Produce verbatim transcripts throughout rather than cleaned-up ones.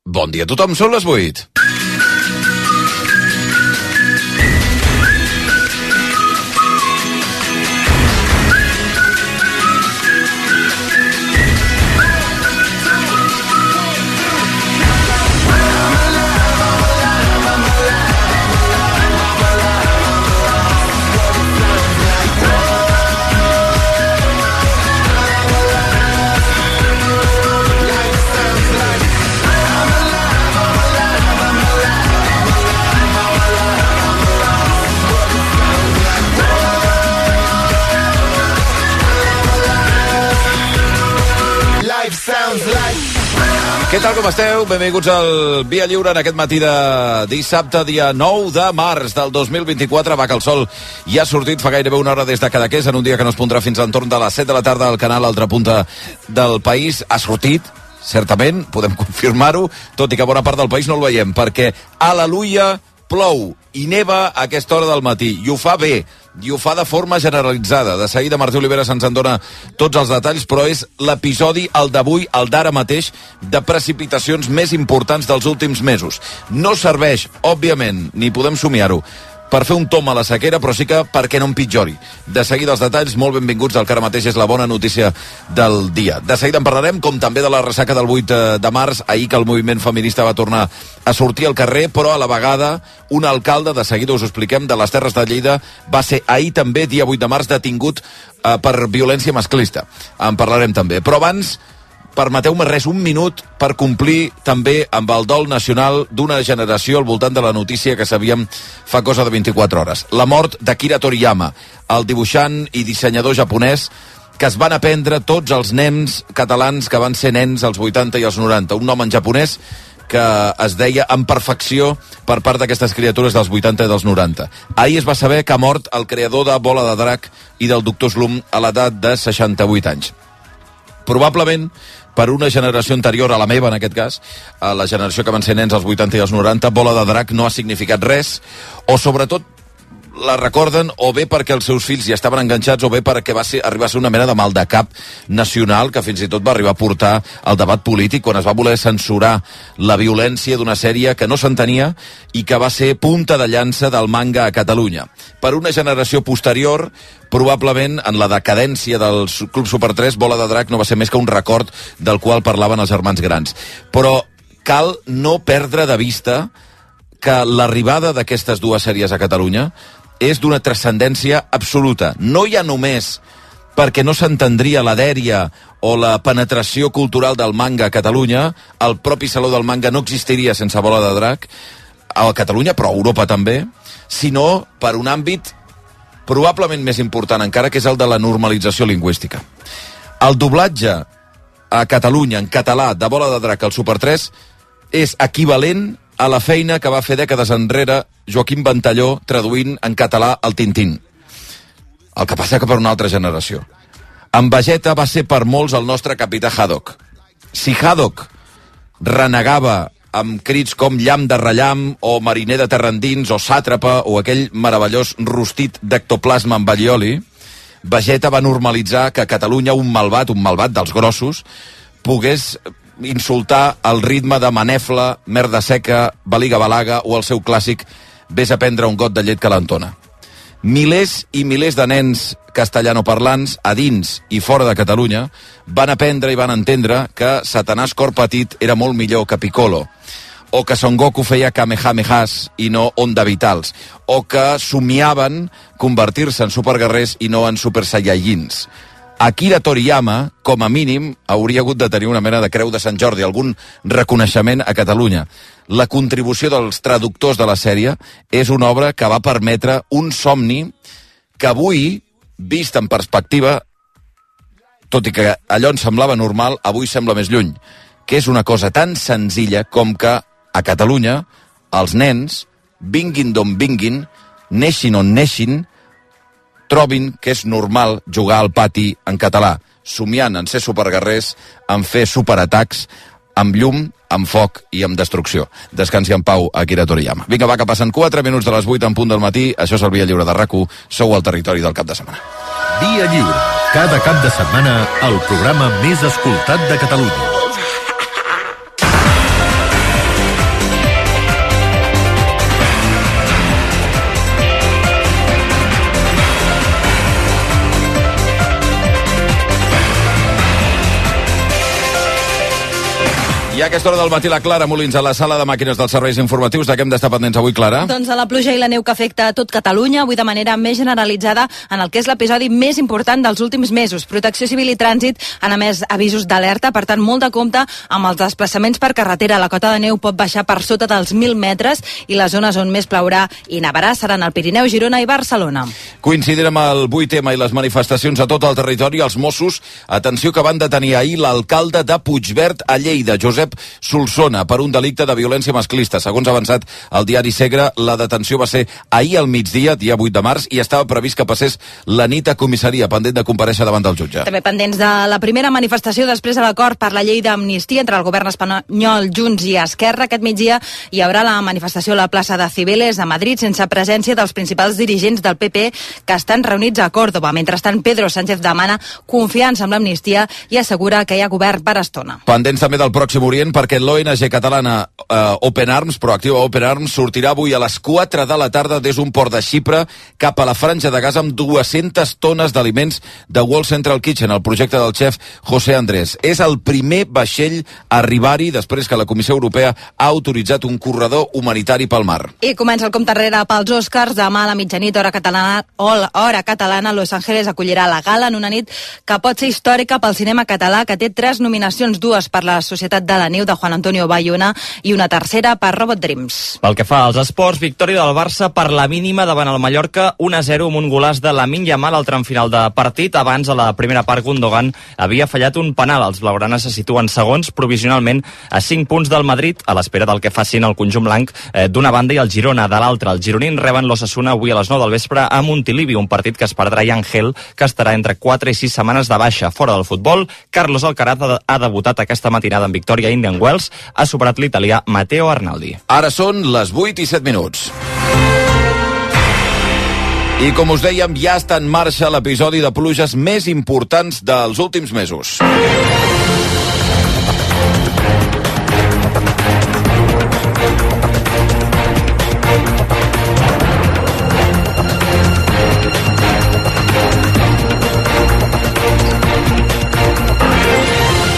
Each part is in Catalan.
Bon dia a tothom, són les vuit. Què tal, com esteu? Benvinguts al Via Lliure en aquest matí de dissabte, dia nou de març del dos mil vint-i-quatre. Va, que el sol ja ha sortit fa gairebé una hora des de Cadaqués, en un dia que no es pondrà fins a l'entorn de les set de la tarda al canal Altra Punta del país. Ha sortit, certament, podem confirmar-ho, tot i que bona part del país no el veiem, perquè, aleluia, plou i neva a aquesta hora del matí, i ho fa bé, i ho fa de forma generalitzada. De seguida Martí Oliveres ens en dona tots els detalls, però és l'episodi, el d'avui, el d'ara mateix, de precipitacions més importants dels últims mesos. No serveix, òbviament, ni podem somiar-ho, per fer un tom a la sequera, però sí que perquè no empitjori. De seguida els detalls, molt benvinguts, el que ara mateix és la bona notícia del dia. De seguida en parlarem, com també de la ressaca del vuit de març, ahir que el moviment feminista va tornar a sortir al carrer, però a la vegada un alcalde, de seguida us ho expliquem, de les Terres de Lleida, va ser ahir també, dia vuit de març, detingut eh, per violència masclista. En parlarem també. Però abans, permeteu-me res, un minut per complir també amb el dol nacional d'una generació al voltant de la notícia que sabíem fa cosa de vint-i-quatre hores. La mort d'Akira Toriyama, el dibuixant i dissenyador japonès que es van aprendre tots els nens catalans que van ser nens als vuitanta i als noranta. Un nom en japonès que es deia en perfecció per part d'aquestes criatures dels vuitanta i dels noranta. Ahir es va saber que ha mort el creador de Bola de Drac i del Doctor Slump a l'edat de seixanta-vuit anys. Probablement per una generació anterior a la meva, en aquest cas, a la generació que van ser nens als vuitanta i als noranta, Bola de Drac no ha significat res, o sobretot la recorden o bé perquè els seus fills ja estaven enganxats o bé perquè va ser, arribar a ser una mena de mal de cap nacional que fins i tot va arribar a portar al debat polític quan es va voler censurar la violència d'una sèrie que no s'entenia i que va ser punta de llança del manga a Catalunya. Per una generació posterior, probablement en la decadència del Club Super tres, Bola de Drac no va ser més que un record del qual parlaven els germans grans. Però cal no perdre de vista que l'arribada d'aquestes dues sèries a Catalunya és d'una transcendència absoluta. No ja només perquè no s'entendria la dèria o la penetració cultural del manga a Catalunya, el propi Saló del Manga no existiria sense Bola de Drac, a Catalunya, però a Europa també, sinó per un àmbit probablement més important encara, que és el de la normalització lingüística. El doblatge a Catalunya en català de Bola de Drac al Super tres és equivalent a la feina que va fer dècades enrere Joaquim Ventalló traduint en català el Tintín. El que passa que per una altra generació. En Vegeta va ser per molts el nostre capità Haddock. Si Haddock renegava amb crits com llamp de rellamp o mariner de terra endins o sàtrapa o aquell meravellós rostit d'ectoplasma amb allioli, Vegeta va normalitzar que a Catalunya un malvat, un malvat dels grossos, pogués insultar el ritme de Manefla, Merda Seca, Baliga Balaga o el seu clàssic Ves a prendre un got de llet calentona. Milers i milers de nens castellanoparlants a dins i fora de Catalunya van aprendre i van entendre que Satanàs cor petit era molt millor que Piccolo, o que Son Goku feia Kamehamehas i no Onda Vitals, o que somiaven convertir-se en superguerrers i no en super saiyajins. Akira Toriyama, com a mínim, hauria hagut de tenir una mena de creu de Sant Jordi, algun reconeixement a Catalunya. La contribució dels traductors de la sèrie és una obra que va permetre un somni que avui, vist en perspectiva, tot i que allò ens semblava normal, avui sembla més lluny, que és una cosa tan senzilla com que a Catalunya els nens, vinguin d'on vinguin, neixin on neixin, trobin que és normal jugar al pati en català, somiant en ser superguerrers, en fer superatacs, amb llum, amb foc i amb destrucció. Descansi en pau, Akira Toriyama. Vinga, va, que passen quatre minuts de les vuit en punt del matí. Això és el Via Lliure de RAC u. Sou al territori del cap de setmana. Via Lliure. Cada cap de setmana, el programa més escoltat de Catalunya. a aquesta hora del matí la Clara Molins a la sala de màquines dels serveis informatius. De què hem d'estar pendents avui, Clara? Doncs de la pluja i la neu que afecta a tot Catalunya, avui de manera més generalitzada en el que és l'episodi més important dels últims mesos. Protecció Civil i Trànsit han emès avisos d'alerta, per tant, molt de compte amb els desplaçaments per carretera. La cota de neu pot baixar per sota dels mil metres i les zones on més plourà i nevarà seran el Pirineu, Girona i Barcelona. Coincidint amb el vuit ema i les manifestacions a tot el territori, els Mossos, atenció, que van detenir ahir l'alcalde de Puigverd a Lleida, Josep Solsona, per un delicte de violència masclista. Segons ha avançat el diari Segre, la detenció va ser ahir al migdia, dia vuit de març, i estava previst que passés la nit a comissaria, pendent de comparèixer davant del jutge. També pendents de la primera manifestació després de l'acord per la llei d'amnistia entre el govern espanyol, Junts i Esquerra. Aquest migdia hi haurà la manifestació a la plaça de Cibeles a Madrid, sense presència dels principals dirigents del P P que estan reunits a Còrdoba. Mentrestant, Pedro Sánchez demana confiança amb l'amnistia i assegura que hi ha govern per estona. Pendents també del Pròxim Orient, perquè l'O N G catalana eh, Open Arms, Proactiva Open Arms, sortirà avui a les quatre de la tarda des d'un port de Xipre cap a la Franja de Gaza amb dues-centes tones d'aliments de World Central Kitchen, el projecte del xef José Andrés. És el primer vaixell a arribar-hi després que la Comissió Europea ha autoritzat un corredor humanitari pel mar. I comença el compte enrere pels Oscars. Demà a la mitjanit, hora catalana, hora catalana, Los Ángeles acollirà la gala en una nit que pot ser històrica pel cinema català, que té tres nominacions, dues per La Societat de la Neu de Juan Antonio Bayona i una tercera per Robot Dreams. Pel que fa als esports, victòria del Barça per la mínima davant el Mallorca, un a zero amb un golaç de Lamine Yamal al tram final de partit. Abans, a la primera part, Gundogan havia fallat un penal. Els blaugranes se situen segons provisionalment a cinc punts del Madrid, a l'espera del que facin el conjunt blanc eh, d'una banda i el Girona de l'altra. Els gironins reben l'Osasuna avui a les nou del vespre a Montilivi, un partit que es perdrà i Ángel, que estarà entre quatre i sis setmanes de baixa. Fora del futbol, Carlos Alcaraz ha debutat aquesta matinada en victòria a Indian Wells, ha superat l'italià Matteo Arnaldi. Ara són les vuit i set minuts. I com us dèiem, ja està en marxa l'episodi de pluges més importants dels últims mesos.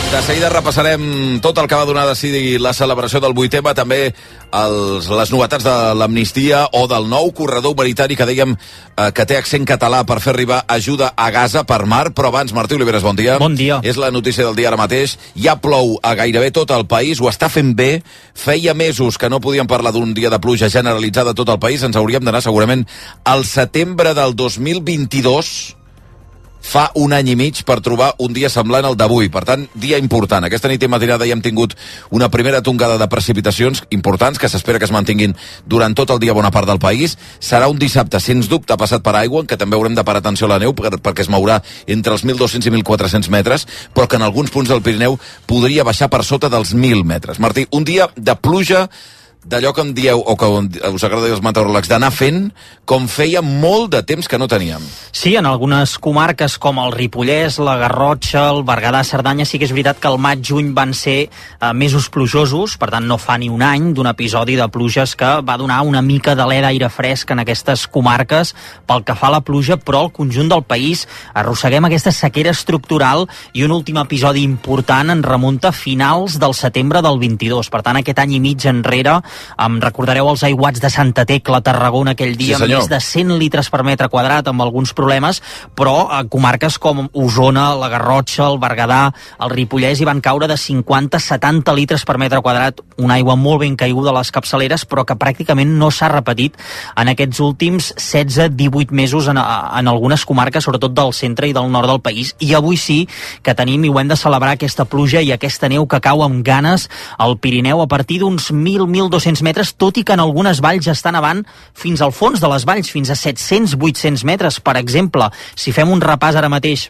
De seguida repassarem tot el que va donar a decidir la celebració del vuit ema, també els, les novetats de l'amnistia o del nou corredor humanitari que dèiem eh, que té accent català per fer arribar ajuda a Gaza per mar. Però abans, Martí Oliveres, bon dia. Bon dia. És la notícia del dia ara mateix. Ja plou a gairebé tot el país, ho està fent bé. Feia mesos que no podíem parlar d'un dia de pluja generalitzada a tot el país. Ens hauríem d'anar segurament al setembre del dos mil vint-i-dos, fa un any i mig, per trobar un dia semblant al d'avui. Per tant, dia important. Aquesta nit i matinada ja hem tingut una primera tongada de precipitacions importants que s'espera que es mantinguin durant tot el dia bona part del país. Serà un dissabte, sens dubte, passat per aigua, en què també haurem de parar atenció a la neu per, perquè es mourà entre els mil dos-cents i mil quatre-cents metres, però que en alguns punts del Pirineu podria baixar per sota dels mil metres. Martí, un dia de pluja d'allò que em dieu, o que us agrada dir als meteoròlegs, d'anar fent com feia molt de temps que no teníem. Sí, en algunes comarques com el Ripollès, la Garrotxa, el Berguedà, Cerdanya, sí que és veritat que el maig-juny van ser eh, mesos plujosos, per tant no fa ni un any d'un episodi de pluges que va donar una mica d'alè d'aire fresc en aquestes comarques pel que fa a la pluja, però al conjunt del país arrosseguem aquesta sequera estructural i un últim episodi important en remunta a finals del setembre del vint-i-dos. Per tant, aquest any i mig enrere, em recordareu els aiguats de Santa Tecla, Tarragona, aquell dia, sí, amb més de cent litres per metre quadrat, amb alguns problemes, però a comarques com Osona, la Garrotxa, el Berguedà, el Ripollès hi van caure de cinquanta a setanta litres per metre quadrat, una aigua molt ben caiguda a les capçaleres, però que pràcticament no s'ha repetit en aquests últims setze a divuit mesos en, en algunes comarques, sobretot del centre i del nord del país. I avui sí que tenim i ho hem de celebrar, aquesta pluja i aquesta neu que cau amb ganes al Pirineu a partir d'uns mil a mil dos-cents metres, tot i que en algunes valls està nevant fins al fons de les valls, fins a set-cents a vuit-cents metres. Per exemple, si fem un repàs ara mateix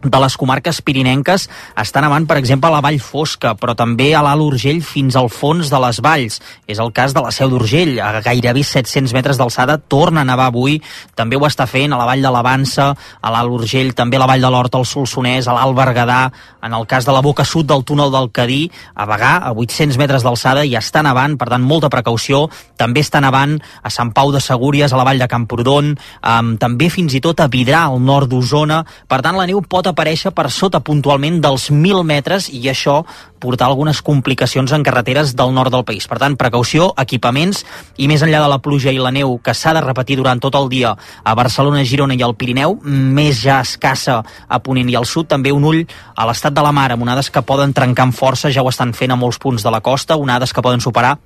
de les comarques pirinenques, està nevant, per exemple, a la Vall Fosca, però també a l'Alt Urgell fins al fons de les valls. És el cas de la Seu d'Urgell, a gairebé set-cents metres d'alçada, torna a nevar avui. També ho està fent a la Vall de l'Avança, a l'Alt Urgell, també a la Vall de l'Horta, al Solsonès, a l'Alt Berguedà, en el cas de la boca sud del túnel del Cadí, a Bagà, a vuit-cents metres d'alçada, i està nevant, per tant, molta precaució. També està nevant a Sant Pau de Segúries, a la Vall de Camprodon, um, també fins i tot a Vidrà, al nord d'Osona. Per tant, la neu pot aparèixer per sota puntualment dels mil metres i això portar algunes complicacions en carreteres del nord del país. Per tant, precaució, equipaments i més enllà de la pluja i la neu que s'ha de repetir durant tot el dia a Barcelona, Girona i al Pirineu, més ja escassa a Ponent i al sud, també un ull a l'estat de la mar, amb onades que poden trencar amb força, ja ho estan fent a molts punts de la costa, onades que poden superar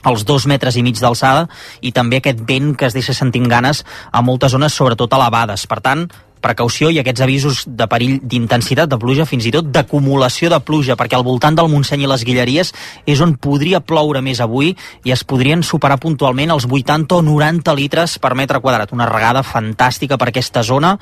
els dos metres i mig d'alçada i també aquest vent que es deixa sentint ganes a moltes zones, sobretot elevades. Per tant, precaució i aquests avisos de perill d'intensitat de pluja, fins i tot d'acumulació de pluja, perquè al voltant del Montseny i les Guilleries és on podria ploure més avui i es podrien superar puntualment els vuitanta o noranta litres per metre quadrat. Una regada fantàstica per aquesta zona,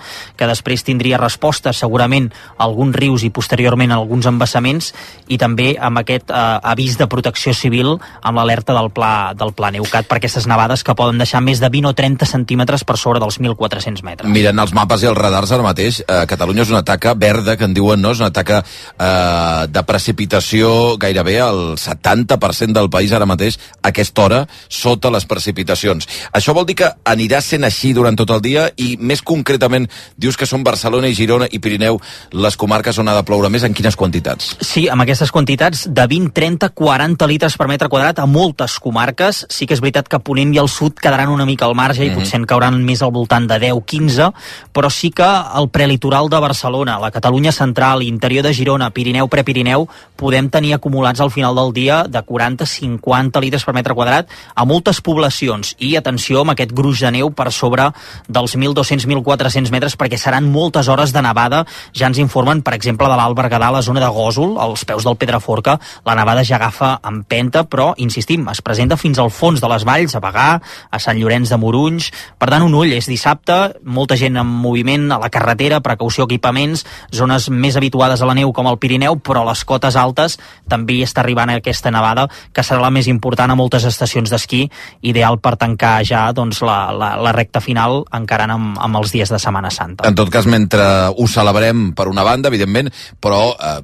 que després tindria resposta segurament a alguns rius i posteriorment a alguns embassaments, i també amb aquest eh, avís de protecció civil amb l'alerta del pla, del pla Neucat per aquestes nevades que poden deixar més de vint o trenta centímetres per sobre dels mil quatre-cents metres. Mirant els mapes i els radars ara mateix, eh, Catalunya és una taca verda, que en diuen, no? És una taca eh, de precipitació gairebé al setanta per cent del país ara mateix, a aquesta hora, sota les precipitacions. Això vol dir que anirà sent així durant tot el dia i, més concretament, dius que són Barcelona i Girona i Pirineu les comarques on ha de ploure més, en quines quantitats? Sí, amb aquestes quantitats de vint, trenta, quaranta litres per metre quadrat a moltes comarques. Sí que és veritat que Ponent i el sud quedaran una mica al marge i mm-hmm. potser en cauran més al voltant de deu, quinze, però sí que al prelitoral de Barcelona, la Catalunya central, interior de Girona, Pirineu, Prepirineu, podem tenir acumulats al final del dia de quaranta a cinquanta litres per metre quadrat a moltes poblacions. I atenció amb aquest gruix de neu per sobre dels mil dos-cents a mil quatre-cents metres, perquè seran moltes hores de nevada. Ja ens informen, per exemple, de l'Alt Berguedà, a la zona de Gósol, als peus del Pedraforca, la nevada ja agafa empenta, però, insistim, es presenta fins al fons de les valls, a Bagà, a Sant Llorenç de Morunys. Per tant, un ull, és dissabte, molta gent en moviment a la carretera, precaució, equipaments, zones més habituades a la neu com el Pirineu, però a les cotes altes també hi està arribant aquesta nevada, que serà la més important a moltes estacions d'esquí, ideal per tancar ja doncs, la, la, la recta final, encarant amb, amb els dies de Setmana Santa. En tot cas, mentre ho celebrem per una banda, evidentment, però eh,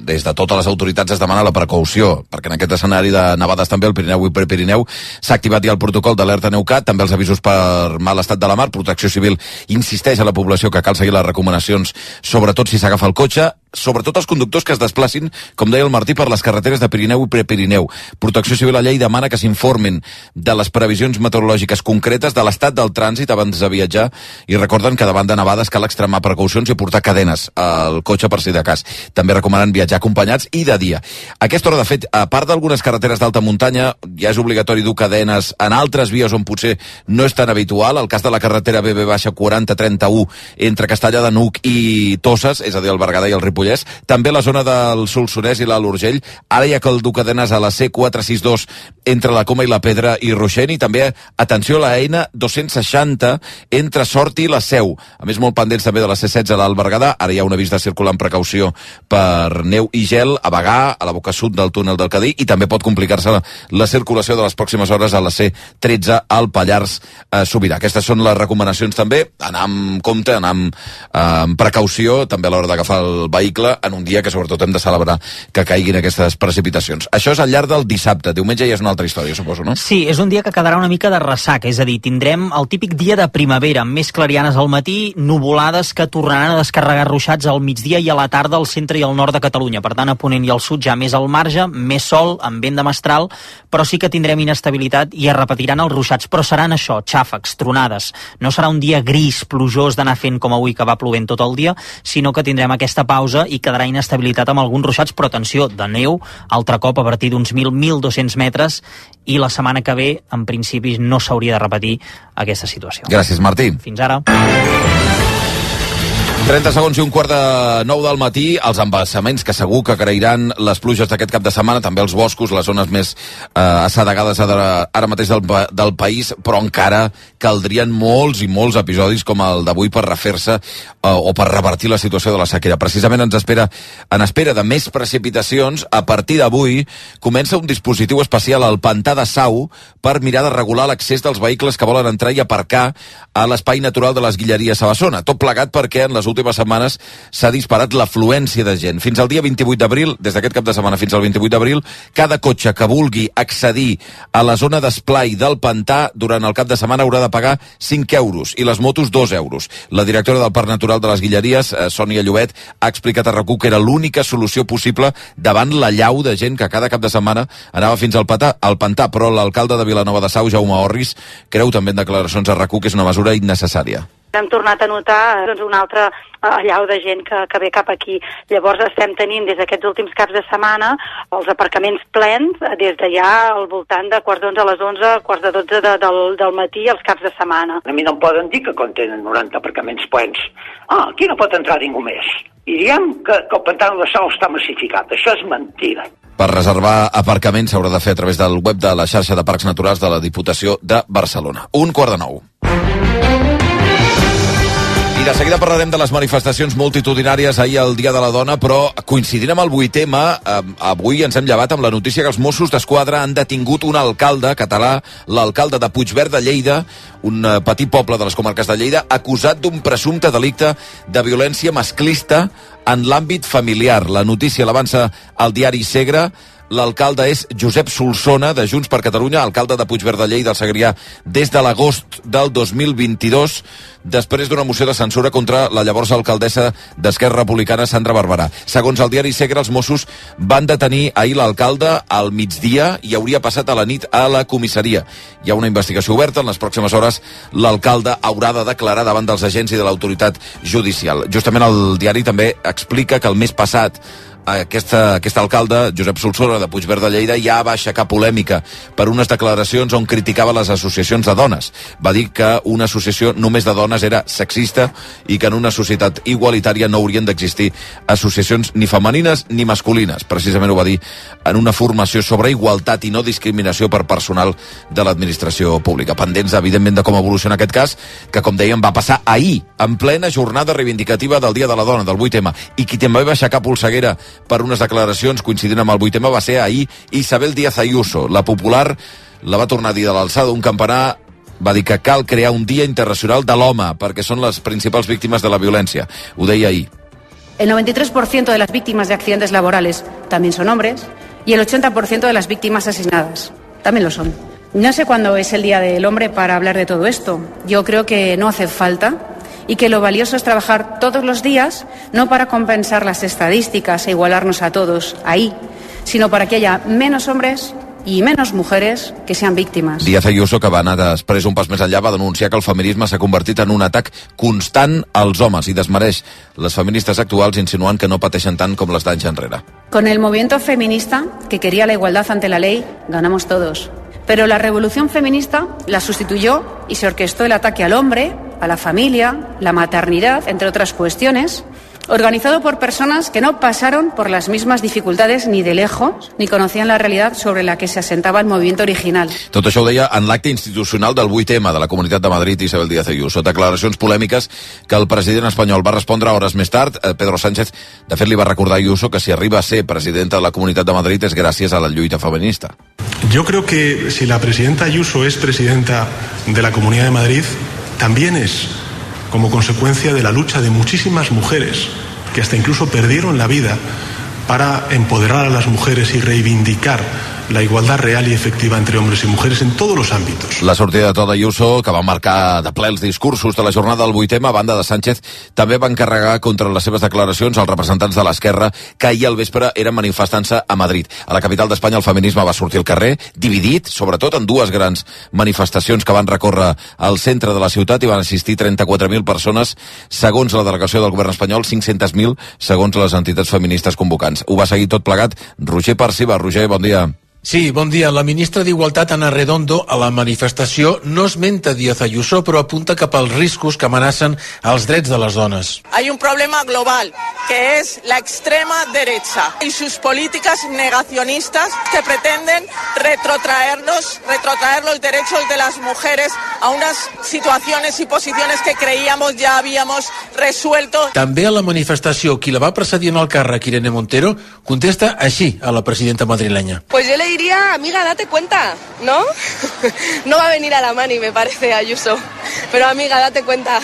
des de totes les autoritats es demana la precaució, perquè en aquest escenari de nevades també al Pirineu i Prepirineu s'ha activat ja el protocol d'alerta Neucat, també els avisos per mal estat de la mar. Protecció Civil insisteix a la població que cal seguir les recomanacions, sobretot si s'agafa el cotxe, sobretot els conductors que es desplacin, com deia el Martí, per les carreteres de Pirineu i Prepirineu. Protecció Civil a llei demana que s'informin de les previsions meteorològiques concretes, de l'estat del trànsit abans de viatjar, i recorden que davant de nevades cal extremar precaucions i portar cadenes al cotxe per si de cas. També recomanen viatjar acompanyats i de dia. A aquesta hora, de fet, a part d'algunes carreteres d'alta muntanya, ja és obligatori dur cadenes en altres vies on potser no és tan habitual. El cas de la carretera B B quaranta trenta-u entre Castellar de Nuc i Toses, és a dir, el Berguedà i el Ripollès. També la zona del Solsonès i l'Alt Urgell. Ara ja cal dur cadenes a la C quatre sis dos entre la Coma i la Pedra i Roixent, i també, atenció, a la Eina dos-cents seixanta entre Sort i la Seu. A més, molt pendents també de la C setze a l'Alt Berguedà. Ara hi ha un avís de circular amb precaució per neu i gel a Bagà, a la boca sud del túnel del Cadí, i també pot complicar-se la, la circulació de les pròximes hores a la C tretze al Pallars eh, Sobirà. Aquestes són les recomanacions també. Anar amb compte, anar amb, eh, amb precaució, també a l'hora d'agafar el vehicle en un dia que sobretot hem de celebrar que caiguin aquestes precipitacions. Això és al llarg del dissabte. Diumenge ja és una altra història, suposo, no? Sí, és un dia que quedarà una mica de ressaca, és a dir, tindrem el típic dia de primavera, amb més clarianes al matí, nuvolades que tornaran a descarregar ruixats al migdia i a la tarda al centre i al nord de Catalunya. Per tant, a Ponent i al sud ja més al marge, més sol, amb vent de mestral, però sí que tindrem inestabilitat i es repetiran els ruixats, però seran això, xàfecs, tronades. No serà un dia gris, plujós d'anar fent com avui, que va plovent tot el dia, sinó que tindrem aquesta pausa i quedarà inestabilitat amb alguns ruixats, però atenció, de neu, altre cop a partir d'uns mil a mil dos-cents metres, i la setmana que ve, en principi, no s'hauria de repetir aquesta situació. Gràcies, Martí. Fins ara. trenta segons i un quart de nou del matí, els embassaments que segur que agrairan les pluges d'aquest cap de setmana, també els boscos, les zones més eh, assedegades ara mateix del, del país, però encara caldrien molts i molts episodis com el d'avui per refer-se eh, o per revertir la situació de la sequera. Precisament ens espera, en espera de més precipitacions, a partir d'avui comença un dispositiu especial al Pantà de Sau per mirar de regular l'accés dels vehicles que volen entrar i aparcar a l'espai natural de les Guilleries a Bassona. Tot plegat perquè en les últimes setmanes s'ha disparat l'afluència de gent. Fins al dia vint-i-vuit d'abril, des d'aquest cap de setmana fins al vint-i-vuit d'abril, cada cotxe que vulgui accedir a la zona d'esplai del pantà durant el cap de setmana haurà de pagar cinc euros i les motos dos euros. La directora del Parc Natural de les Guilleries, Sònia Llobet, ha explicat a RAC1 que era l'única solució possible davant la llau de gent que cada cap de setmana anava fins al pantà, al pantà, però l'alcalde de Vilanova de Sau, Jaume Orris, creu també en declaracions a RAC1 que és una mesura innecessària. Hem tornat a notar doncs, una altra allau de gent que, que ve cap aquí. Llavors estem tenint des d'aquests últims caps de setmana els aparcaments plens des de ja al voltant de quarts d'onze a les onze, quarts de dotze de, del, del matí els caps de setmana. A mi no em poden dir que contenen noranta aparcaments plens. Ah, aquí no pot entrar ningú més. I diem que, que el pantà de Sau està massificat. Això és mentida. Per reservar aparcaments s'haurà de fer a través del web de la xarxa de parcs naturals de la Diputació de Barcelona. Un quart de nou. I de seguida parlarem de les manifestacions multitudinàries ahir al Dia de la Dona, però coincidint amb el vuitè M, eh, avui ens hem llevat amb la notícia que els Mossos d'Esquadra han detingut un alcalde català, l'alcalde de Puigverd de Lleida, un eh, petit poble de les comarques de Lleida, acusat d'un presumpte delicte de violència masclista en l'àmbit familiar. La notícia l'avança al diari Segre. L'alcalde és Josep Solsona, de Junts per Catalunya, alcalde de Puigverd de Lleida, al Segrià, des de l'agost del dos mil vint-i-dos, després d'una moció de censura contra la llavors alcaldessa d'Esquerra Republicana, Sandra Barberà. Segons el diari Segre, els Mossos van detenir ahir l'alcalde al migdia i hauria passat a la nit a la comissaria. Hi ha una investigació oberta. En les pròximes hores l'alcalde haurà de declarar davant dels agents i de l'autoritat judicial. Justament el diari també explica que el mes passat Aquesta, aquest alcalde, Josep Solsona, de Puigverd de Lleida, ja va aixecar polèmica per unes declaracions on criticava les associacions de dones. Va dir que una associació només de dones era sexista i que en una societat igualitària no haurien d'existir associacions ni femenines ni masculines. Precisament ho va dir en una formació sobre igualtat i no discriminació per personal de l'administració pública. Pendents, evidentment, de com evoluciona aquest cas, que, com dèiem, va passar ahir, en plena jornada reivindicativa del Dia de la Dona, del vuitè M. I qui també va aixecar polseguera per unes declaracions coincidint amb el vuitè M va ser ahir Isabel Díaz Ayuso. La popular la va tornar a dir de l'alçada d'un campanar, va dir que cal crear un Dia Internacional de l'Home perquè són les principals víctimes de la violència. Ho deia ahir. El noventa y tres por ciento de las víctimas de accidentes laborales también son hombres y el ochenta por ciento de las víctimas asesinadas también lo son. No sé cuándo es el Día del Hombre para hablar de todo esto. Yo creo que no hace falta y que lo valioso es trabajar todos los días, no para compensar las estadísticas e igualarnos a todos ahí, sino para que haya menos hombres i menos mujeres que sean víctimes. Díaz Ayuso, que va anar després un pas més enllà, va denunciar que el feminisme s'ha convertit en un atac constant als homes i desmereix les feministes actuals, insinuant que no pateixen tant com les d'anys enrere. Con el movimiento feminista, que quería la igualdad ante la ley, ganamos todos. Pero la revolución feminista la sustituyó y se orquestó el ataque al hombre, a la familia, la maternidad, entre otras cuestiones, organizado por personas que no pasaron por las mismas dificultades ni de lejos, ni conocían la realidad sobre la que se asentaba el movimiento original. Tot això ho deia en l'acte institucional del vuitè M de la Comunitat de Madrid, Isabel Díaz Ayuso. Declaracions polèmiques que el president espanyol va respondre hores més tard. Pedro Sánchez, de fet, li va recordar a Ayuso que si arriba a ser presidenta de la Comunitat de Madrid és gràcies a la lluita feminista. Yo creo que si la presidenta Ayuso es presidenta de la Comunidad de Madrid, también es como consecuencia de la lucha de muchísimas mujeres que hasta incluso perdieron la vida para empoderar a las mujeres y reivindicar la igualdad real y efectiva entre hombres y mujeres en todos los ámbitos. La sortida de to d'Ayuso, que va marcar de ple els discursos de la jornada del vuitè M, a banda de Sánchez, també va encarregar contra les seves declaracions als representants de l'esquerra que ahir al vespre eren manifestant-se a Madrid. A la capital d'Espanya el feminisme va sortir al carrer, dividit, sobretot en dues grans manifestacions que van recórrer al centre de la ciutat i van assistir trenta-quatre mil persones, segons la delegació del govern espanyol, cinc-centes mil segons les entitats feministes convocants. Ho va seguir tot plegat Roger Parciba. Roger, bon dia. Sí, bon dia. La ministra d'Igualtat, Ana Redondo, a la manifestació no esmenta Díaz Ayuso, però apunta cap als riscos que amenacen els drets de les dones. Hay un problema global, que es la extrema derecha y sus políticas negacionistas que pretenden retrotraernos, retrotraer los derechos de las mujeres a unas situaciones y posiciones que creíamos ya habíamos resuelto. També a la manifestació, qui la va precedir en el càrrec, Irene Montero, contesta així a la presidenta madrilenya. Pues yo le diría, amiga, date cuenta, ¿no? No va a venir a la mani, me parece, Ayuso. Pero amiga, date cuenta.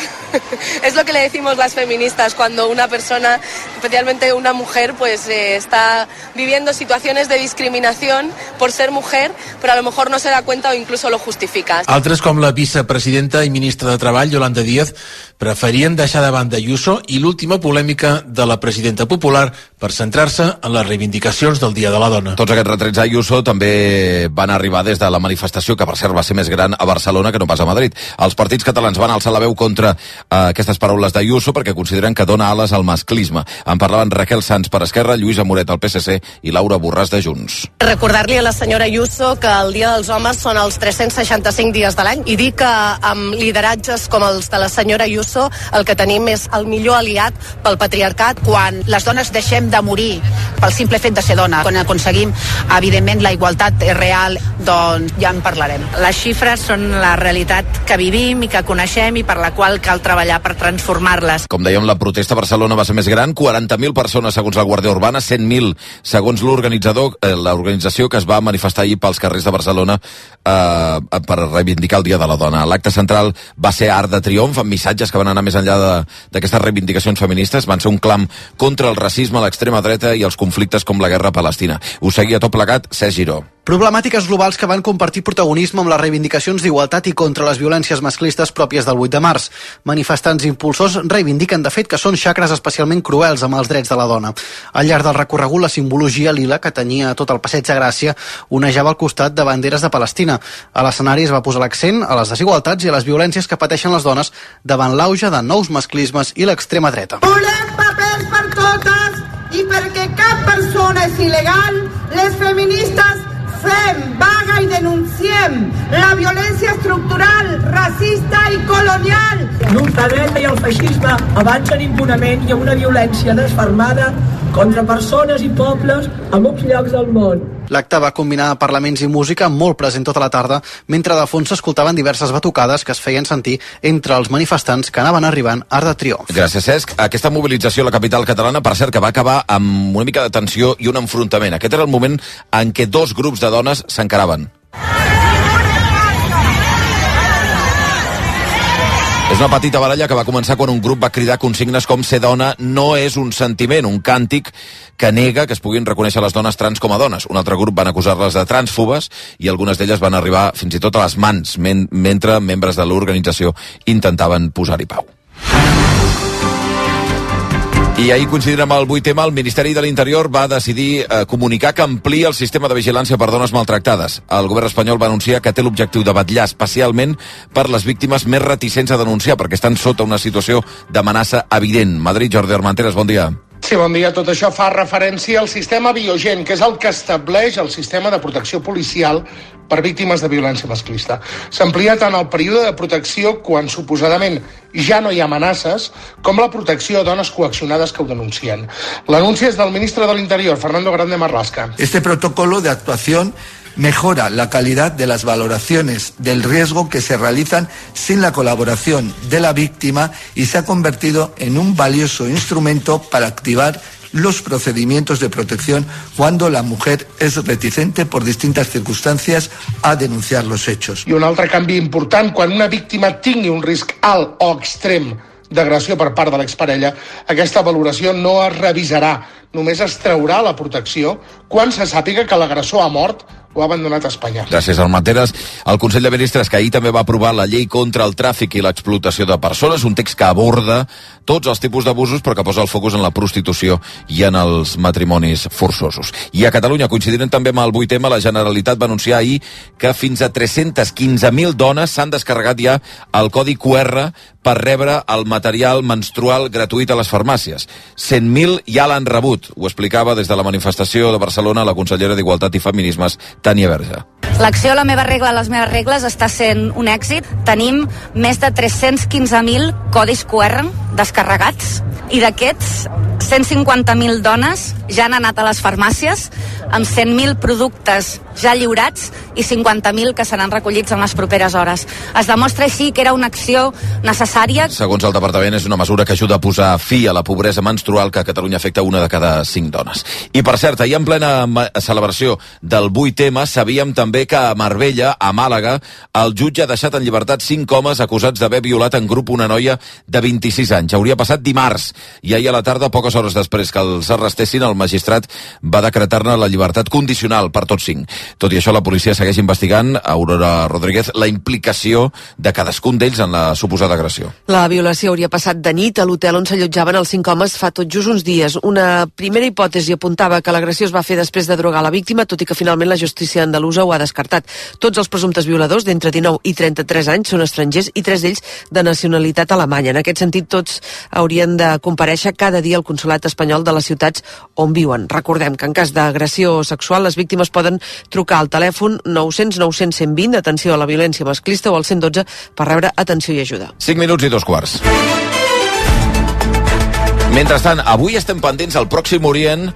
Es lo que le decimos las feministas cuando una persona, especialmente una mujer, pues eh, está viviendo situaciones de discriminación por ser mujer, pero a lo mejor no se da cuenta o incluso lo justifica. Altres, com la vicepresidenta i ministra de Treball, Yolanda Díaz, preferien deixar de banda Ayuso i l'última polèmica de la presidenta popular per centrar-se en les reivindicacions del Dia de la Dona. Tots aquests retrets a Ayuso també van arribar des de la manifestació, que per cert va ser més gran a Barcelona que no pas a Madrid. Els partits catalans van alçar la veu contra eh, aquestes paraules d'Ayuso perquè consideren que dona ales al masclisme. En parlaven Raquel Sans per Esquerra, Lluïsa Moret al P S C i Laura Borràs de Junts. Recordar-li a la senyora Ayuso que el Dia dels Homes són els tres-cents seixanta-cinc dies de l'any i dir que amb lideratges com els de la senyora Ayuso el que tenim és el millor aliat pel patriarcat. Quan les dones deixem de morir pel simple fet de ser dona, quan aconseguim evidentment la igualtat real, doncs ja en parlarem. Les xifres són la realitat que vivim i que coneixem i per la qual cal treballar per transformar-les. Com dèiem, la protesta a Barcelona va ser més gran, quaranta mil persones segons la Guàrdia Urbana, cent mil segons l'organitzador, eh, l'organització que es va manifestar ahir pels carrers de Barcelona eh, per reivindicar el Dia de la Dona. L'acte central va ser Arc de Triomf, amb missatges que van anar més enllà d'aquestes reivindicacions feministes, van ser un clam contra el racisme, l'extrema dreta i els conflictes com la guerra a Palestina. Ho seguia tot plegat Cesc Giró. Problemàtiques globals que van compartir protagonisme amb les reivindicacions d'igualtat i contra les violències masclistes pròpies del vuit de març. Manifestants i impulsors reivindiquen, de fet, que són xacres especialment cruels amb els drets de la dona. Al llarg del recorregut, la simbologia lila que tenia tot el passeig de Gràcia onejava al costat de banderes de Palestina. A l'escenari es va posar l'accent a les desigualtats i a les violències que pateixen les dones davant l'auge de nous masclismes i l'extrema dreta. Volem papers per totes i perquè cap persona és il·legal, les feministes fem vaga i denunciem la violència estructural, racista i colonial. L'ultradreta i el feixisme avancen impunement i amb una violència desfermada contra persones i pobles a molts llocs del món. L'acte va combinar parlaments i música molt present tota la tarda, mentre de fons s'escoltaven diverses batucades que es feien sentir entre els manifestants que anaven arribant a Arc de Triomf. Gràcies, Cesc. Aquesta mobilització a la capital catalana, per cert, que va acabar amb una mica de tensió i un enfrontament. Aquest era el moment en què dos grups de dones s'encaraven. És una petita baralla que va començar quan un grup va cridar consignes com ser dona no és un sentiment, un càntic que nega que es puguin reconèixer les dones trans com a dones. Un altre grup van acusar-les de transfobes i algunes d'elles van arribar fins i tot a les mans men mentre membres de l'organització intentaven posar-hi pau. I ahir, coincidint amb el vuit ema, el Ministeri de l'Interior va decidir eh, comunicar que amplia el sistema de vigilància per dones maltractades. El govern espanyol va anunciar que té l'objectiu de vetllar especialment per les víctimes més reticents a denunciar, perquè estan sota una situació d'amenaça evident. Madrid, Jordi Armenteres, bon dia. Sí, bon dia. Tot això fa referència al sistema Biogen, que és el que estableix el sistema de protecció policial per víctimes de violència masclista. S'amplia tant el període de protecció quan suposadament ja no hi ha amenaces, com la protecció a dones coaccionades que ho denuncien. L'anunci és del ministre de l'Interior, Fernando Grande Marlaska. Este protocolo de actuación mejora la calidad de las valoraciones del riesgo que se realizan sin la colaboración de la víctima y se ha convertido en un valioso instrumento para activar los procedimientos de protección cuando la mujer es reticente por distintas circunstancias a denunciar los hechos. I un altre canvi important, quan una víctima tingui un risc alt o extrem d'agressió per part de l'exparella, aquesta valoració no es revisarà, només es traurà la protecció quan se sàpiga que l'agressor ha mort o ha abandonat Espanya. Gràcies, Armenteres. El Consell de Ministres, que ahir també va aprovar la llei contra el tràfic i l'explotació de persones, un text que aborda tots els tipus d'abusos però que posa el focus en la prostitució i en els matrimonis forçosos. I a Catalunya, coincidint també amb el vuit ema, la Generalitat va anunciar ahir que fins a tres-cents quinze mil dones s'han descarregat ja el codi cu erre per rebre el material menstrual gratuït a les farmàcies. cent mil ja l'han rebut. Ho explicava des de la manifestació de Barcelona la consellera d'Igualtat i Feminismes, Tània Verge. L'acció La meva regla, les meves regles està sent un èxit. Tenim més de tres-cents quinze mil codis cu erre descarregats i d'aquests cent cinquanta mil dones ja han anat a les farmàcies, amb cent mil productes ja lliurats i cinquanta mil que seran recollits en les properes hores. Es demostra així que era una acció necessària. Segons el departament, és una mesura que ajuda a posar fi a la pobresa menstrual que a Catalunya afecta una de cada cinc dones. I per cert, ahir en plena celebració del vuit eme sabíem també que a Marbella, a Màlaga, el jutge ha deixat en llibertat cinc homes acusats d'haver violat en grup una noia de vint-i-sis anys. Hauria passat dimarts i ahir a la tarda, poques hores després que els arrestessin, el magistrat va decretar-ne la llibertat condicional per tots cinc. Tot i això, la policia segueix investigant, Aurora Rodríguez, la implicació de cadascun d'ells en la suposada agressió. La violació hauria passat de nit a l'hotel on s'allotjaven els cinc homes fa tot just uns dies. Una primera hipòtesi apuntava que l'agressió es va fer després de drogar la víctima, tot i que finalment la justícia andalusa ho ha descartat. Tots els presumptes violadors d'entre dinou i trenta-tres anys són estrangers i tres d'ells de nacionalitat alemanya. En aquest sentit, tots haurien de comparèixer cada dia al consolat espanyol de les ciutats on viuen. Recordem que en cas d'agressió sexual les víctimes poden trucar al telèfon nou cents nou cents cent vint, atenció a la violència masclista, o al cent dotze per rebre atenció i ajuda. cinc minuts i dos quarts. Mentrestant, avui estem pendents al Pròxim Orient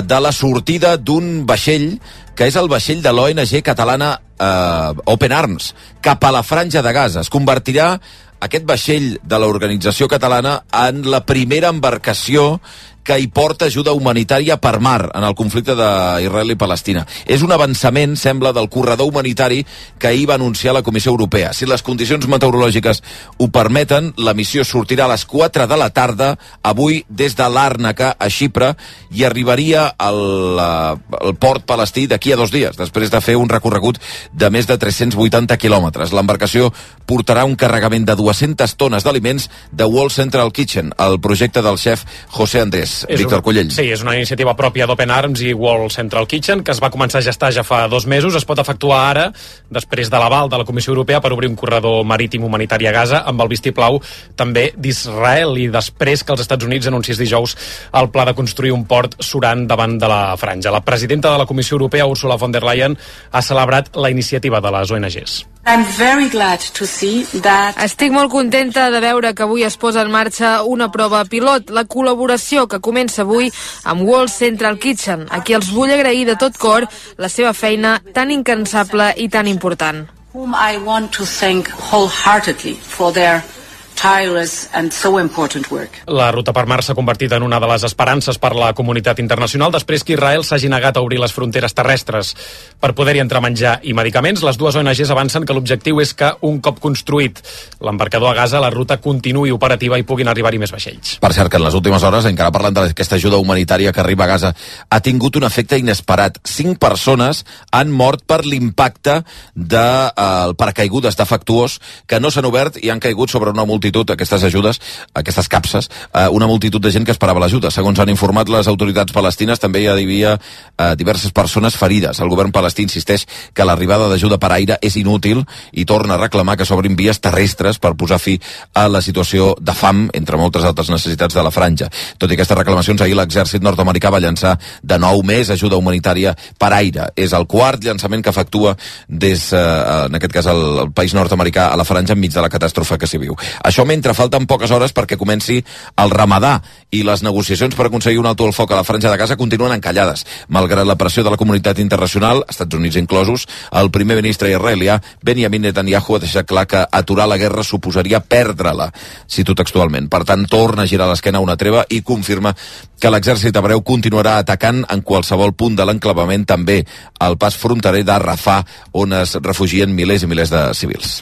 de la sortida d'un vaixell que és el vaixell de l'O N G catalana eh, Open Arms, cap a la Franja de Gaza. Es convertirà aquest vaixell de l'organització catalana en la primera embarcació que hi porta ajuda humanitària per mar en el conflicte d'Israel i Palestina. És un avançament, sembla, del corredor humanitari que ahir va anunciar la Comissió Europea. Si les condicions meteorològiques ho permeten, la missió sortirà a les quatre de la tarda, avui des de Làrnaca, a Xipre, i arribaria al, al port palestí d'aquí a dos dies, després de fer un recorregut de més de tres-cents vuitanta quilòmetres. L'embarcació portarà un carregament de dues-centes tones d'aliments de World Central Kitchen, el projecte del xef José Andrés. Víctor Cullell. Sí, és una iniciativa pròpia d'Open Arms i World Central Kitchen que es va començar a gestar ja fa dos mesos. Es pot efectuar ara, després de l'aval de la Comissió Europea per obrir un corredor marítim humanitari a Gaza amb el vistiplau també d'Israel, i després que els Estats Units anunciés dijous el pla de construir un port surant davant de la franja. La presidenta de la Comissió Europea, Ursula von der Leyen, ha celebrat la iniciativa de les O N Gs. I'm very glad to see that... Estic molt contenta de veure que avui es posa en marxa una prova pilot, la col·laboració que comença avui amb World Central Kitchen. Aquí els vull agrair de tot cor la seva feina tan incansable i tan important. Whom I want to thank wholeheartedly for their tireless and so important work. La ruta per mar s'ha convertit en una de les esperances per la comunitat internacional després que Israel s'hagi negat a obrir les fronteres terrestres per poder-hi entrar menjar i medicaments. Les dues O N Gs avancen que l'objectiu és que, un cop construït l'embarcador a Gaza, la ruta continuï operativa i puguin arribar-hi més vaixells. Per cert, que en les últimes hores, encara parlant d'aquesta ajuda humanitària que arriba a Gaza, ha tingut un efecte inesperat. Cinc persones han mort per l'impacte del de, eh, paracaigudes defectuós que no s'han obert i han caigut sobre una multitud, aquestes ajudes, aquestes capses, eh, una multitud de gent que esperava l'ajuda. Segons han informat les autoritats palestines, també hi havia eh, diverses persones ferides. El govern palestí insisteix que l'arribada d'ajuda per aire és inútil i torna a reclamar que s'obrin vies terrestres per posar fi a la situació de fam, entre moltes altres necessitats de la franja. Tot i aquestes reclamacions, ahir l'exèrcit nord-americà va llançar de nou més ajuda humanitària per aire. És el quart llançament que efectua des, eh, en aquest cas, el, el país nord-americà a la franja enmig de la catàstrofe que s'hi viu. Això mentre falten poques hores perquè comenci el Ramadà, i les negociacions per aconseguir un alto al foc a la franja de Gaza continuen encallades. Malgrat la pressió de la comunitat internacional, Estats Units inclosos, el primer ministre israelià, Benjamin Netanyahu, ha deixat clar que aturar la guerra suposaria perdre-la, cito textualment. Per tant, torna a girar l'esquena a una treva i confirma que l'exèrcit hebreu continuarà atacant en qualsevol punt de l'enclavament, també al pas fronterer de Rafah, on es refugien milers i milers de civils.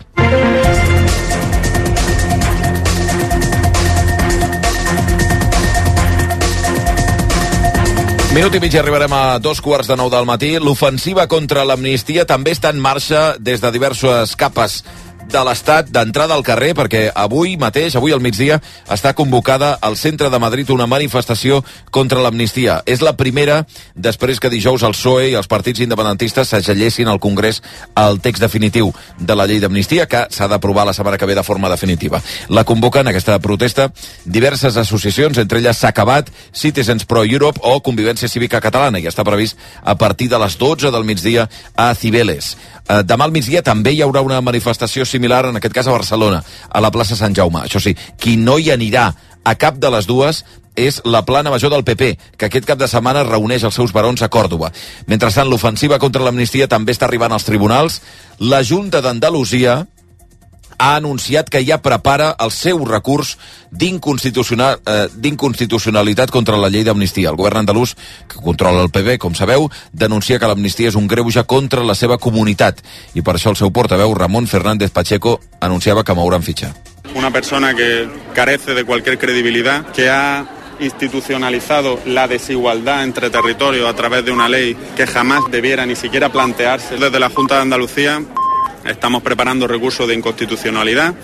Minut i mig i arribarem a dos quarts de nou del matí. L'ofensiva contra l'amnistia també està en marxa des de diverses capes de l'Estat, d'entrada al carrer, perquè avui mateix, avui al migdia, està convocada al centre de Madrid una manifestació contra l'amnistia. És la primera després que dijous el P S O E i els partits independentistes s'agellessin al Congrés el text definitiu de la llei d'amnistia, que s'ha d'aprovar la setmana que ve de forma definitiva. La convoquen, aquesta protesta, diverses associacions, entre elles S'ha acabat, Citizens Pro Europe o Convivència Cívica Catalana, i està previst a partir de les dotze del migdia a Cibeles. Demà al migdia també hi haurà una manifestació similar, en aquest cas a Barcelona, a la plaça Sant Jaume. Això sí, qui no hi anirà a cap de les dues és la plana major del P P, que aquest cap de setmana reuneix els seus barons a Còrdova. Mentrestant, l'ofensiva contra l'amnistia també està arribant als tribunals. La Junta d'Andalusia ha anunciat que ja prepara el seu recurs d'inconstitucional, eh, d'inconstitucionalitat contra la llei d'amnistia. El govern andalús, que controla el P B, com sabeu, denuncia que l'amnistia és un greuge contra la seva comunitat. I per això el seu portaveu, Ramon Fernández Pacheco, anunciava que mouran fitxa. Una persona que carece de cualquier credibilidad, que ha institucionalizado la desigualdad entre territorios a través de una ley que jamás debiera ni siquiera plantearse. Desde la Junta de Andalucía estamos preparando recursos de inconstitucionalidad.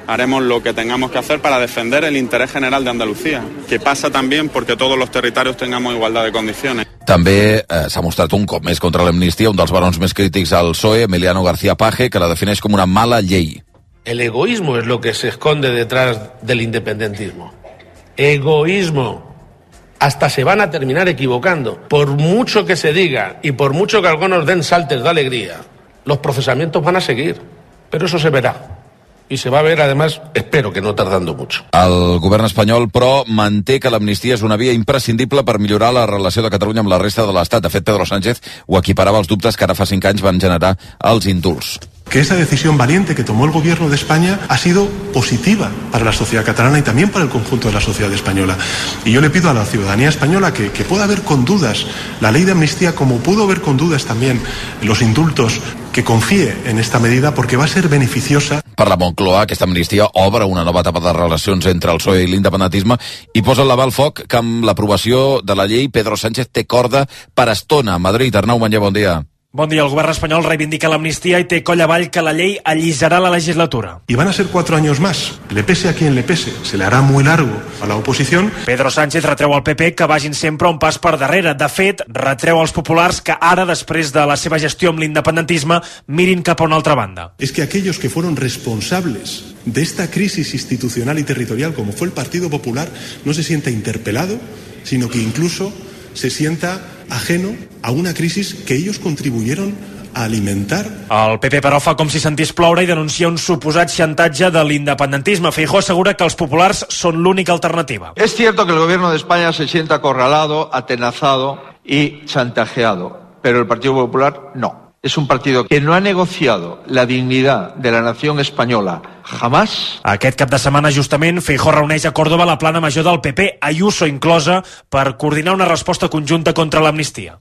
Haremos lo que tengamos que hacer para defender el interés general de Andalucía, que pasa también porque todos los territorios tengamos igualdad de condiciones. També eh, s'ha mostrat un cop més contra l'amnistia un dels barons més crítics al P S O E, Emiliano García Paje, que la defineix com una mala llei. El egoísmo es lo que se esconde detrás del independentismo. Egoísmo. Hasta se van a terminar equivocando. Por mucho que se diga y por mucho que algunos den saltos de alegría, los procesamientos van a seguir, pero eso se verá. Y se va a ver, además, espero que no tardando mucho. El govern espanyol, però, manté que l'amnistia és una via imprescindible per millorar la relació de Catalunya amb la resta de l'Estat. De fet, Pedro Sánchez ho equiparava als dubtes que ara fa cinc anys van generar els indults. Que esa decisión valiente que tomó el gobierno de España ha sido positiva para la sociedad catalana y también para el conjunto de la sociedad española. Y yo le pido a la ciudadanía española que, que pueda ver con dudas la ley de amnistía, como pudo ver con dudas también los indultos, que confíe en esta medida porque va a ser beneficiosa. Per la Moncloa, aquesta amnistia obre una nova etapa de relacions entre el P S O E i l'independentisme i posa el lava al foc que amb l'aprovació de la llei Pedro Sánchez té corda per estona. Madrid, Arnau Manllé, bon dia. Bon dia. El govern espanyol reivindica l'amnistia i té coll avall que la llei allisarà la legislatura. Y van a ser cuatro años más. Le pese a quien le pese. Se le hará muy largo a la oposición. Pedro Sánchez retreu al P P que vagin sempre un pas per darrere. De fet, retreu als populars que ara, després de la seva gestió amb l'independentisme, mirin cap a una altra banda. Es que aquellos que fueron responsables de esta crisis institucional y territorial, como fue el Partido Popular, no se sienta interpelado, sino que incluso se sienta ajeno a una crisis que ellos contribuyeron a alimentar. El P P, però, fa com si sentís ploure i denuncia un suposat xantatge de l'independentisme. Feijóo assegura que els populars són l'única alternativa. Es cierto que el gobierno de España se sienta acorralado, atenazado y chantajeado, pero el Partido Popular no. Es un partido que no ha negociado la dignidad de la nación española jamás. Aquest cap de setmana, justament, Feijóo reuneix a Còrdova la plana major del P P, Ayuso inclosa, per coordinar una resposta conjunta contra l'amnistia.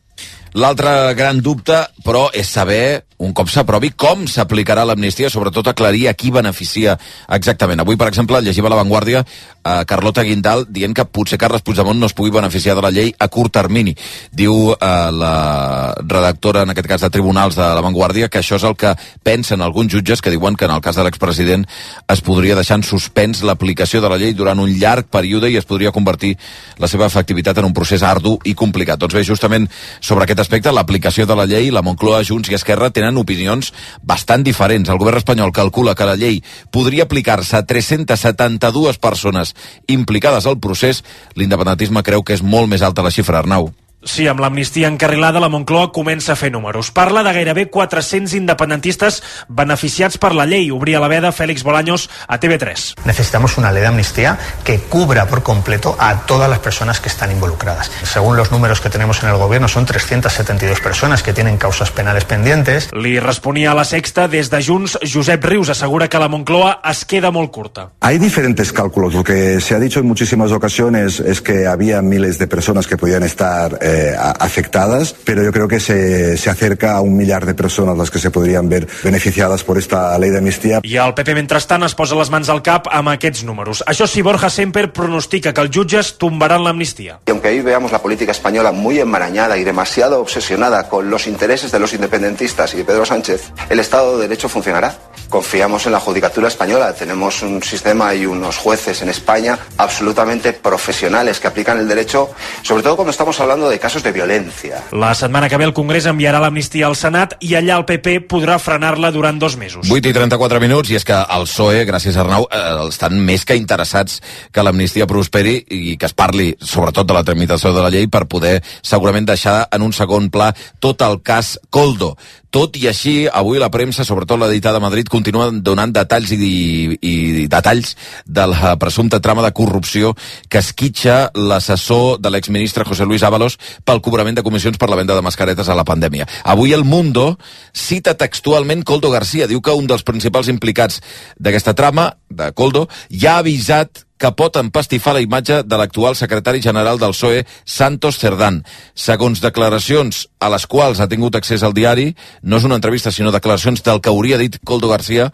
L'altre gran dubte, però, és saber, un cop s'aprovi, com s'aplicarà l'amnistia, sobretot aclarir a qui beneficia exactament. Avui, per exemple, llegiva a La Vanguardia a Carlota Guindal dient que potser Carles Puigdemont no es pugui beneficiar de la llei a curt termini. Diu eh, la redactora, en aquest cas de Tribunals de La Vanguardia, que això és el que pensen alguns jutges, que diuen que en el cas de l'expresident es podria deixar en suspens l'aplicació de la llei durant un llarg període i es podria convertir la seva efectivitat en un procés ardu i complicat. Doncs bé, justament sobre aquest aspecte, l'aplicació de la llei, la Moncloa, Junts i Esquerra tenen opinions bastant diferents. El govern espanyol calcula que la llei podria aplicar-se a tres-centes setanta-dues persones implicades al procés. L'independentisme creu que és molt més alta la xifra, Arnau. Sí, amb l'amnistia encarrilada, la Moncloa comença a fer números. Parla de gairebé quatre-cents independentistes beneficiats per la llei. Obria la veda Félix Bolaños a T V tres. Necesitamos una ley de amnistía que cubra por completo a todas las personas que están involucradas. Según los números que tenemos en el gobierno, son trescientas setenta y dos personas que tienen causas penales pendientes. Li responia a La Sexta des de Junts. Josep Rius assegura que la Moncloa es queda molt curta. Hay diferentes cálculos. Lo que se ha dicho en muchísimas ocasiones es que había miles de personas que podían estar eh, afectadas, pero yo creo que se, se acerca a un millar de personas las que se podrían ver beneficiadas por esta ley de amnistía. I el P P, mentrestant, es posa les mans al cap amb aquests números. Això sí, Borja Semper pronostica que els jutges tombaran l'amnistia. Y aunque ahí veamos la política española muy enmarañada y demasiado obsesionada con los intereses de los independentistas y de Pedro Sánchez, el Estado de Derecho funcionará. Confiamos en la judicatura española. Tenemos un sistema y unos jueces en España absolutamente profesionales que aplican el derecho, sobre todo cuando estamos hablando de casos de violència. La setmana que ve el Congrés enviarà l'amnistia al Senat i allà el P P podrà frenar-la durant dos mesos. vuit i trenta-quatre minuts, i és que el P S O E, gràcies a Arnau, eh, estan més que interessats que l'amnistia prosperi i que es parli sobretot de la tramitació de la llei per poder segurament deixar en un segon pla tot el cas Koldo. Tot i així, avui la premsa, sobretot l'editada de Madrid, continua donant detalls i, i, i detalls de la presumpta trama de corrupció que esquitxa l'assessor de l'exministre José Luis Ábalos pel cobrament de comissions per la venda de mascaretes a la pandèmia. Avui El Mundo cita textualment Koldo García, diu que un dels principals implicats d'aquesta trama, de Koldo, ja ha avisat que pot empastifar la imatge de l'actual secretari general del P S O E, Santos Cerdán. Segons declaracions a les quals ha tingut accés al diari, no és una entrevista, sinó declaracions del que hauria dit Koldo García,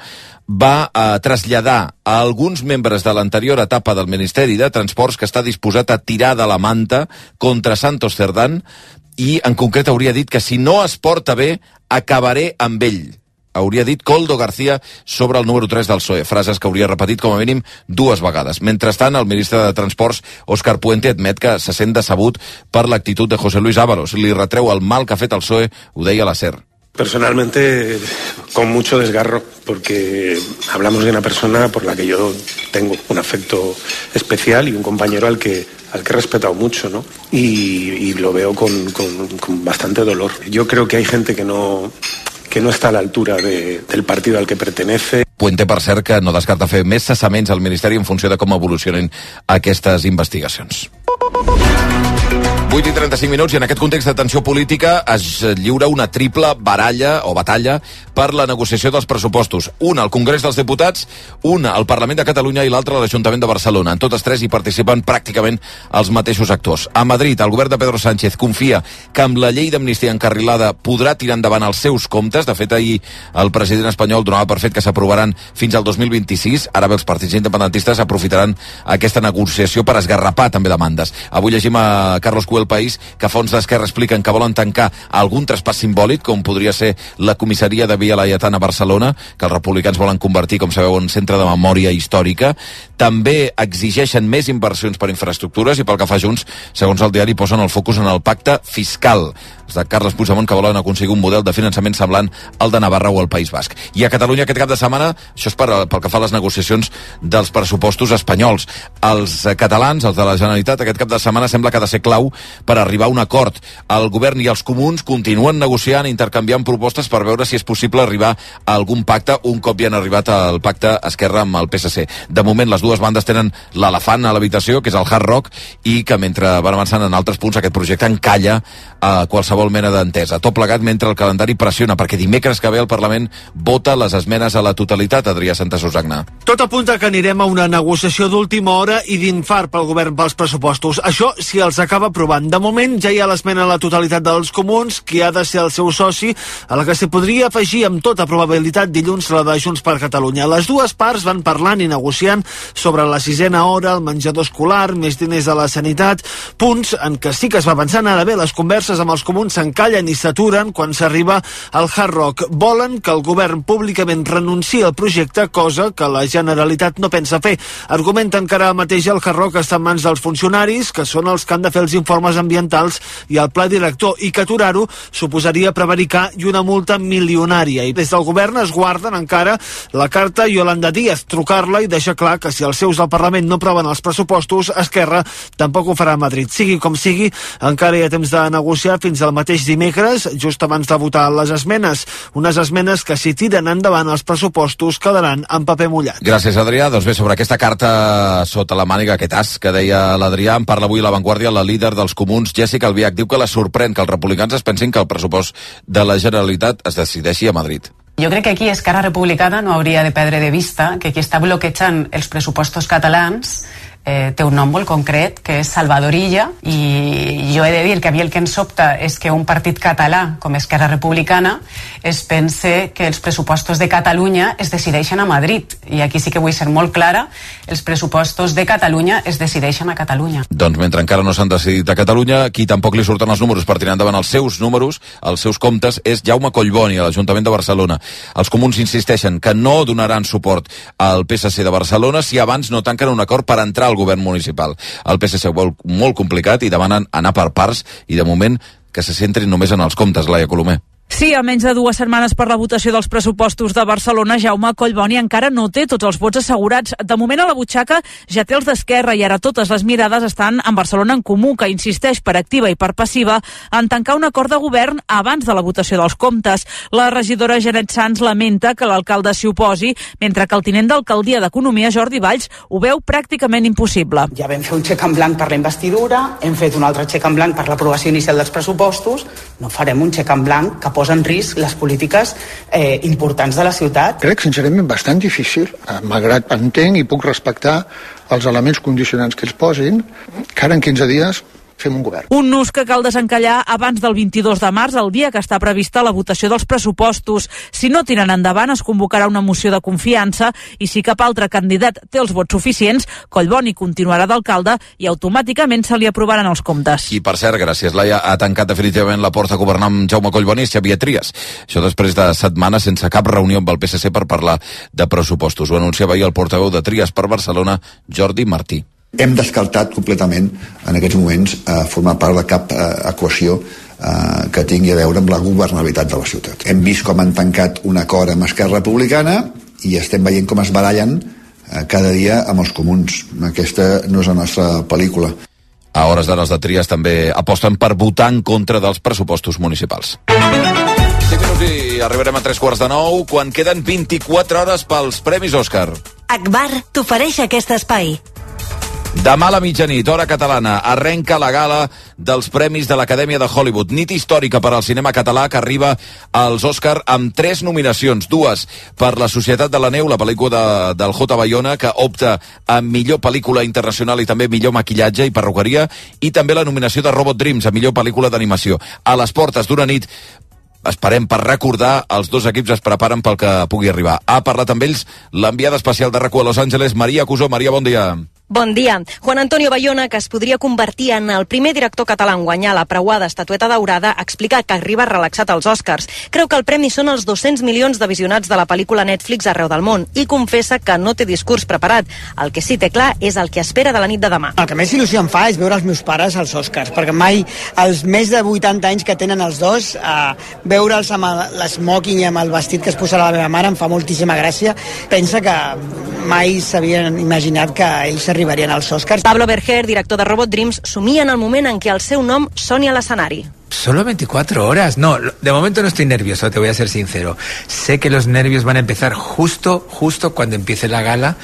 va a traslladar a alguns membres de l'anterior etapa del Ministeri de Transports que està disposat a tirar de la manta contra Santos Cerdán i, en concret, hauria dit que si no es porta bé, acabaré amb ell. Hauria dit Koldo García sobre el número tres del P S O E, frases que hauria repetit com a mínim dues vegades. Mentrestant, el ministre de Transports, Óscar Puente, admet que se sent decebut per l'actitud de José Luis Ábalos. Li retreu el mal que ha fet el P S O E, ho deia a la SER. Personalmente, con mucho desgarro, porque hablamos de una persona por la que yo tengo un afecto especial y un compañero al que al que he respetado mucho, ¿no? Y, y lo veo con, con, con bastante dolor. Yo creo que hay gente que no... que no està a l'altura de, del partit al que pertenece. Puente, per cert, que no descarta fer més cessaments al Ministeri en funció de com evolucionen aquestes investigacions. vuit i trenta-cinc minuts, i en aquest context de tensió política es lliura una triple baralla o batalla per la negociació dels pressupostos. Una al Congrés dels Diputats, una al Parlament de Catalunya i l'altra a l'Ajuntament de Barcelona. En totes tres hi participen pràcticament els mateixos actors. A Madrid, el govern de Pedro Sánchez confia que amb la llei d'amnistia encarrilada podrà tirar endavant els seus comptes. De fet, ahir el president espanyol donava per fet que s'aprovaran fins al dos mil vint-i-sis. Ara bé, els partits independentistes aprofitaran aquesta negociació per esgarrapar també demandes. Avui llegim a Carlos Cué, El País, que fons d'Esquerra expliquen que volen tancar algun traspàs simbòlic, com podria ser la comissaria de Via Laietana a Barcelona, que els republicans volen convertir, com sabeu, en centre de memòria històrica. També exigeixen més inversions per infraestructures i, pel que fa Junts, segons el diari, posen el focus en el pacte fiscal. Els de Carles Puigdemont, que volen aconseguir un model de finançament semblant al de Navarra o el País Basc. I a Catalunya aquest cap de setmana, això és per, pel que fa a les negociacions dels pressupostos espanyols. Els catalans, els de la Generalitat, aquest cap de setmana sembla que ha de ser clau per arribar a un acord. El govern i els comuns continuen negociant, intercanviant propostes per veure si és possible arribar a algun pacte un cop ja han arribat al pacte Esquerra amb el P S C. De moment, les dues bandes tenen l'elefant a l'habitació, que és el Hard Rock, i que mentre van avançant en altres punts, aquest projecte encalla a qualsevol mena d'entesa. Tot plegat mentre el calendari pressiona, perquè dimecres que ve el Parlament vota les esmenes a la totalitat. Adrià Santasusagna. Tot apunta que anirem a una negociació d'última hora i d'infart pel govern pels pressupostos. Això si els acaba aprovant. De moment ja hi ha l'esmena a la totalitat dels comuns, que ha de ser el seu soci, a la que s'hi podria afegir amb tota probabilitat dilluns la de Junts per Catalunya. Les dues parts van parlant i negociant sobre la sisena hora, el menjador escolar, més diners a la sanitat, punts en què sí que es va pensant. Ara bé, les converses amb els comuns s'encallen i s'aturen quan s'arriba al Hard Rock. Volen que el govern públicament renunciï al projecte, cosa que la Generalitat no pensa fer. Argumenten que ara mateix el Hard Rock està en mans dels funcionaris, que són els que han de fer els informes ambientals i el pla director, i que aturar-ho suposaria prevaricar i una multa milionària. I des del govern es guarden encara la carta Yolanda Díaz, trucar-la i deixar clar que si els seus del Parlament no aproven els pressupostos, Esquerra tampoc ho farà a Madrid. Sigui com sigui, encara hi ha temps de negociar fins al mateix dimecres, just abans de votar les esmenes. Unes esmenes que, si tiren endavant els pressupostos, quedaran en paper mullat. Gràcies, Adrià. Doncs bé, sobre aquesta carta sota la màniga, aquest as que deia l'Adrià, en parla avui a La Vanguardia la líder dels comuns, Jessica Albiach. Diu que la sorprèn que els republicans es pensin que el pressupost de la Generalitat es decideixi a Madrid. Jo crec que aquí Esquerra Republicana no hauria de perdre de vista que qui està bloquejant els pressupostos catalans eh, té un nom molt concret, que és Salvador Illa, i jo he de dir que a mi el que em sobta és que un partit català com Esquerra Republicana es pense que els pressupostos de Catalunya es decideixen a Madrid, i aquí sí que vull ser molt clara, els pressupostos de Catalunya es decideixen a Catalunya. Doncs mentre encara no s'han decidit a Catalunya, qui tampoc li surten els números per tirar endavant els seus números, els seus comptes, és Jaume Collboni, a l'Ajuntament de Barcelona. Els comuns insisteixen que no donaran suport al P S C de Barcelona si abans no tanquen un acord per entrar al govern municipal. El P S C ho vol molt complicat i demanen anar per parts i, de moment, que se centrin només en els comptes. Laia Colomer. Sí, a menys de dues setmanes per la votació dels pressupostos de Barcelona, Jaume Collboni encara no té tots els vots assegurats. De moment a la butxaca ja té els d'Esquerra i ara totes les mirades estan en Barcelona en Comú, que insisteix per activa i per passiva en tancar un acord de govern abans de la votació dels comptes. La regidora Janet Sans lamenta que l'alcalde s'hi oposi, mentre que el tinent d'alcaldia d'Economia, Jordi Valls, ho veu pràcticament impossible. Ja vam fer un xec en blanc per la investidura, hem fet un altre xec en blanc per l'aprovació inicial dels pressupostos, no farem un xec en blanc que posa en risc les polítiques eh, importants de la ciutat. Crec, sincerament, bastant difícil, malgrat entenc i puc respectar els elements condicionants que ells posin, que ara en quinze dies fem un govern. Un nus que cal desencallar abans del vint-i-dos de març, el dia que està prevista la votació dels pressupostos. Si no tiren endavant, es convocarà una moció de confiança i si cap altre candidat té els vots suficients, Collboni continuarà d'alcalde i automàticament se li aprovaran els comptes. I per cert, gràcies, Laia, ha tancat definitivament la porta a governar amb Jaume Collboni i Xavier Trias. Això després de setmanes sense cap reunió amb el P S C per parlar de pressupostos. Ho anunciava ahir el portaveu de Trias per Barcelona, Jordi Martí. Hem descartat completament en aquests moments eh, formar part de cap eh, equació eh, que tingui a veure amb la governabilitat de la ciutat. Hem vist com han tancat un acord amb Esquerra Republicana i estem veient com es barallen eh, cada dia amb els comuns. Aquesta no és la nostra pel·lícula. A hores d'ara els de Trias també aposten per votar en contra dels pressupostos municipals. cinc minuts i arribarem a tres quarts de nou quan queden vint-i-quatre hores pels Premis Òscar. Akbar t'ofereix aquest espai. Demà a la mitjanit, hora catalana, arrenca la gala dels Premis de l'Acadèmia de Hollywood. Nit històrica per al cinema català que arriba als Òscar amb tres nominacions. Dues per La Societat de la Neu, la pel·lícula de, del J. Bayona, que opta a millor pel·lícula internacional i també millor maquillatge i perruqueria, i també la nominació de Robot Dreams a millor pel·lícula d'animació. A les portes d'una nit esperem per recordar, els dos equips es preparen pel que pugui arribar. Ha parlat amb ells l'enviada especial de RAC u a Los Angeles, Maria Cusó. Maria, bon dia. Bon dia. Juan Antonio Bayona, que es podria convertir en el primer director català en guanyar la preuada estatueta daurada, explica que arriba relaxat als Oscars. Creu que el premi són els dos-cents milions de visionats de la pel·lícula Netflix arreu del món i confessa que no té discurs preparat. El que sí té clar és el que espera de la nit de demà. El que més il·lusió em fa és veure els meus pares als Oscars, perquè mai, els més de vuitanta anys que tenen els dos, eh, veure'ls amb l'esmoking i amb el vestit que es posarà la meva mare em fa moltíssima gràcia. Pensa que mai s'havien imaginat que ells arribarien als Oscars. Pablo Berger, director de Robot Dreams, somia en el moment en què el seu nom soni a l'escenari. Solo veinticuatro horas. No, de momento no estoy nervioso, te voy a ser sincero. Sé que los nervios van a empezar justo, justo cuando empiece la gala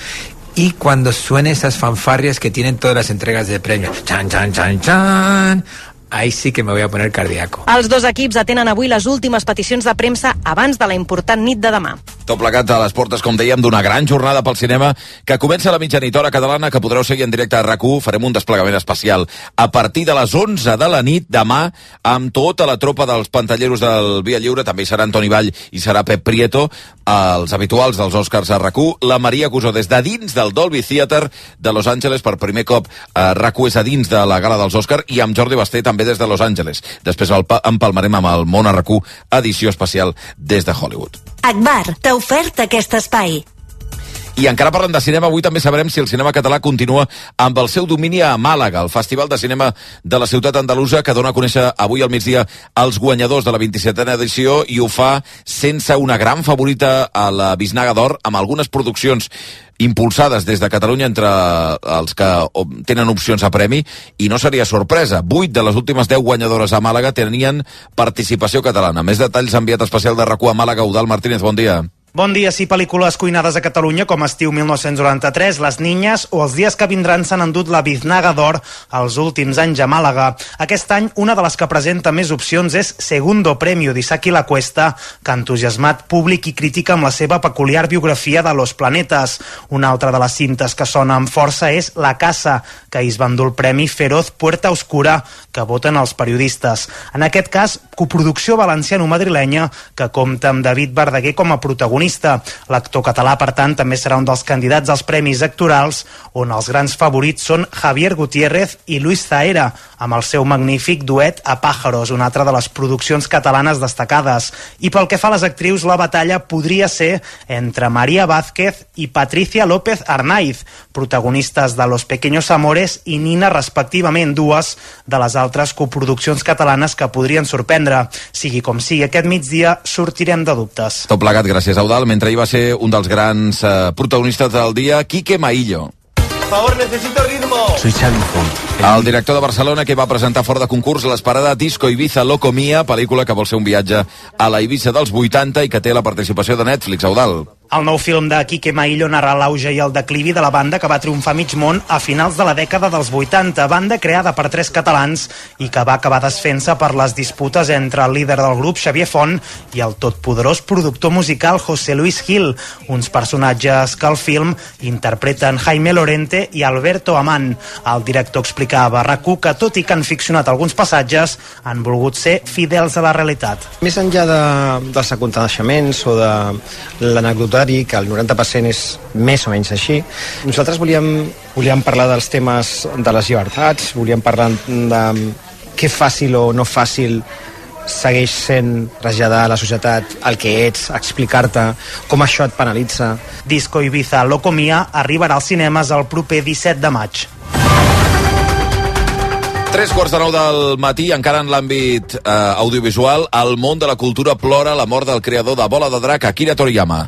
y cuando suene esas fanfarrias que tienen todas las entregas de premios. Chan, chan, chan, chan. Ahí sí que me voy a poner cardíaco. Els dos equips atenen avui les últimes peticions de premsa abans de la important nit de demà. Tot plegat a les portes, com dèiem, d'una gran jornada pel cinema que comença a la mitjanit, hora catalana, que podreu seguir en directe a RAC u. Farem un desplegament especial a partir de les onze de la nit demà amb tota la tropa dels pantalleros del Via Lliure. També hi serà Antoni Vall i serà Pep Prieto, els habituals dels Oscars a RAC u. La Maria Cusó des de dins del Dolby Theatre de Los Angeles. Per primer cop a RAC u és a dins de la gala dels Oscars, i amb Jordi Basté també des de Los Angeles. Després el empalmarem amb el Món a RAC u, edició especial des de Hollywood. Akbar t'ha ofert aquest espai. I encara parlant de cinema, avui també sabrem si el cinema català continua amb el seu domini a Màlaga, el Festival de Cinema de la ciutat andalusa, que dona a conèixer avui al migdia els guanyadors de la vint-i-setena edició, i ho fa sense una gran favorita a la Bisnaga d'Or, amb algunes produccions impulsades des de Catalunya entre els que tenen opcions a premi, i no seria sorpresa. Vuit de les últimes deu guanyadores a Màlaga tenien participació catalana. Més detalls, enviat especial de RAC u a Màlaga, Eudald Martínez, bon dia. Bon dia. Sí, pel·lícules cuinades a Catalunya com Estiu mil nou-cents noranta-tres, Les Niñas o Els dies que vindran s'han endut la Biznaga d'Or els últims anys a Màlaga. Aquest any, una de les que presenta més opcions és Segundo Premio d'Isaki La Cuesta, que ha entusiasmat públic i crítica amb la seva peculiar biografia de Los Planetas. Una altra de les cintes que sona amb força és La Casa, que ahir es va endur el premi Feroz Puerta Oscura, que voten els periodistes. En aquest cas, coproducció valenciano-madrilenya, que compta amb David Verdaguer com a protagonista protagonista. L'actor català, per tant, també serà un dels candidats als Premis Actorals, on els grans favorits són Javier Gutiérrez i Luis Zahera, amb el seu magnífic duet A Pájaros, una altra de les produccions catalanes destacades. I pel que fa a les actrius, la batalla podria ser entre María Vázquez i Patricia López Arnaiz, protagonistes de Los Pequeños Amores i Nina, respectivament, dues de les altres coproduccions catalanes que podrien sorprendre. Sigui com sigui, aquest migdia sortirem de dubtes. Tot plegat, gràcies, Eudald. Mentre hi va ser un dels grans eh, protagonistes del dia, Quique Maillo. Por favor, necesito ritmo. Soy Xavi Font. El director de Barcelona, que va presentar fora de concurs l'esperada Disco Ibiza Loco Mia, pel·lícula que vol ser un viatge a la Ibiza dels vuitanta i que té la participació de Netflix, Eudald. El nou film de Quique Maillo narra l'auge i el declivi de la banda que va triomfar a mig món a finals de la dècada dels vuitanta, banda creada per tres catalans i que va acabar desfent-se per les disputes entre el líder del grup, Xavier Font, i el totpoderós productor musical José Luis Gil, uns personatges que al film interpreten Jaime Lorente i Alberto Amán. El director explicava a RAC1 que, tot i que han ficcionat alguns passatges, han volgut ser fidels a la realitat. Més enllà de, dels aconteixements o de l'anecdotari, que el noranta per cent és més o menys així, nosaltres volíem, volíem parlar dels temes de les llibertats, volíem parlar de què fàcil o no fàcil segueix sent traslladar a la societat el que ets, explicar-te com això et penalitza. Disco Ibiza Loco Mia arribarà als cinemes el proper disset de maig. Tres quarts de nou del matí, encara en l'àmbit eh, audiovisual, el món de la cultura plora la mort del creador de Bola de Drac, Akira Toriyama.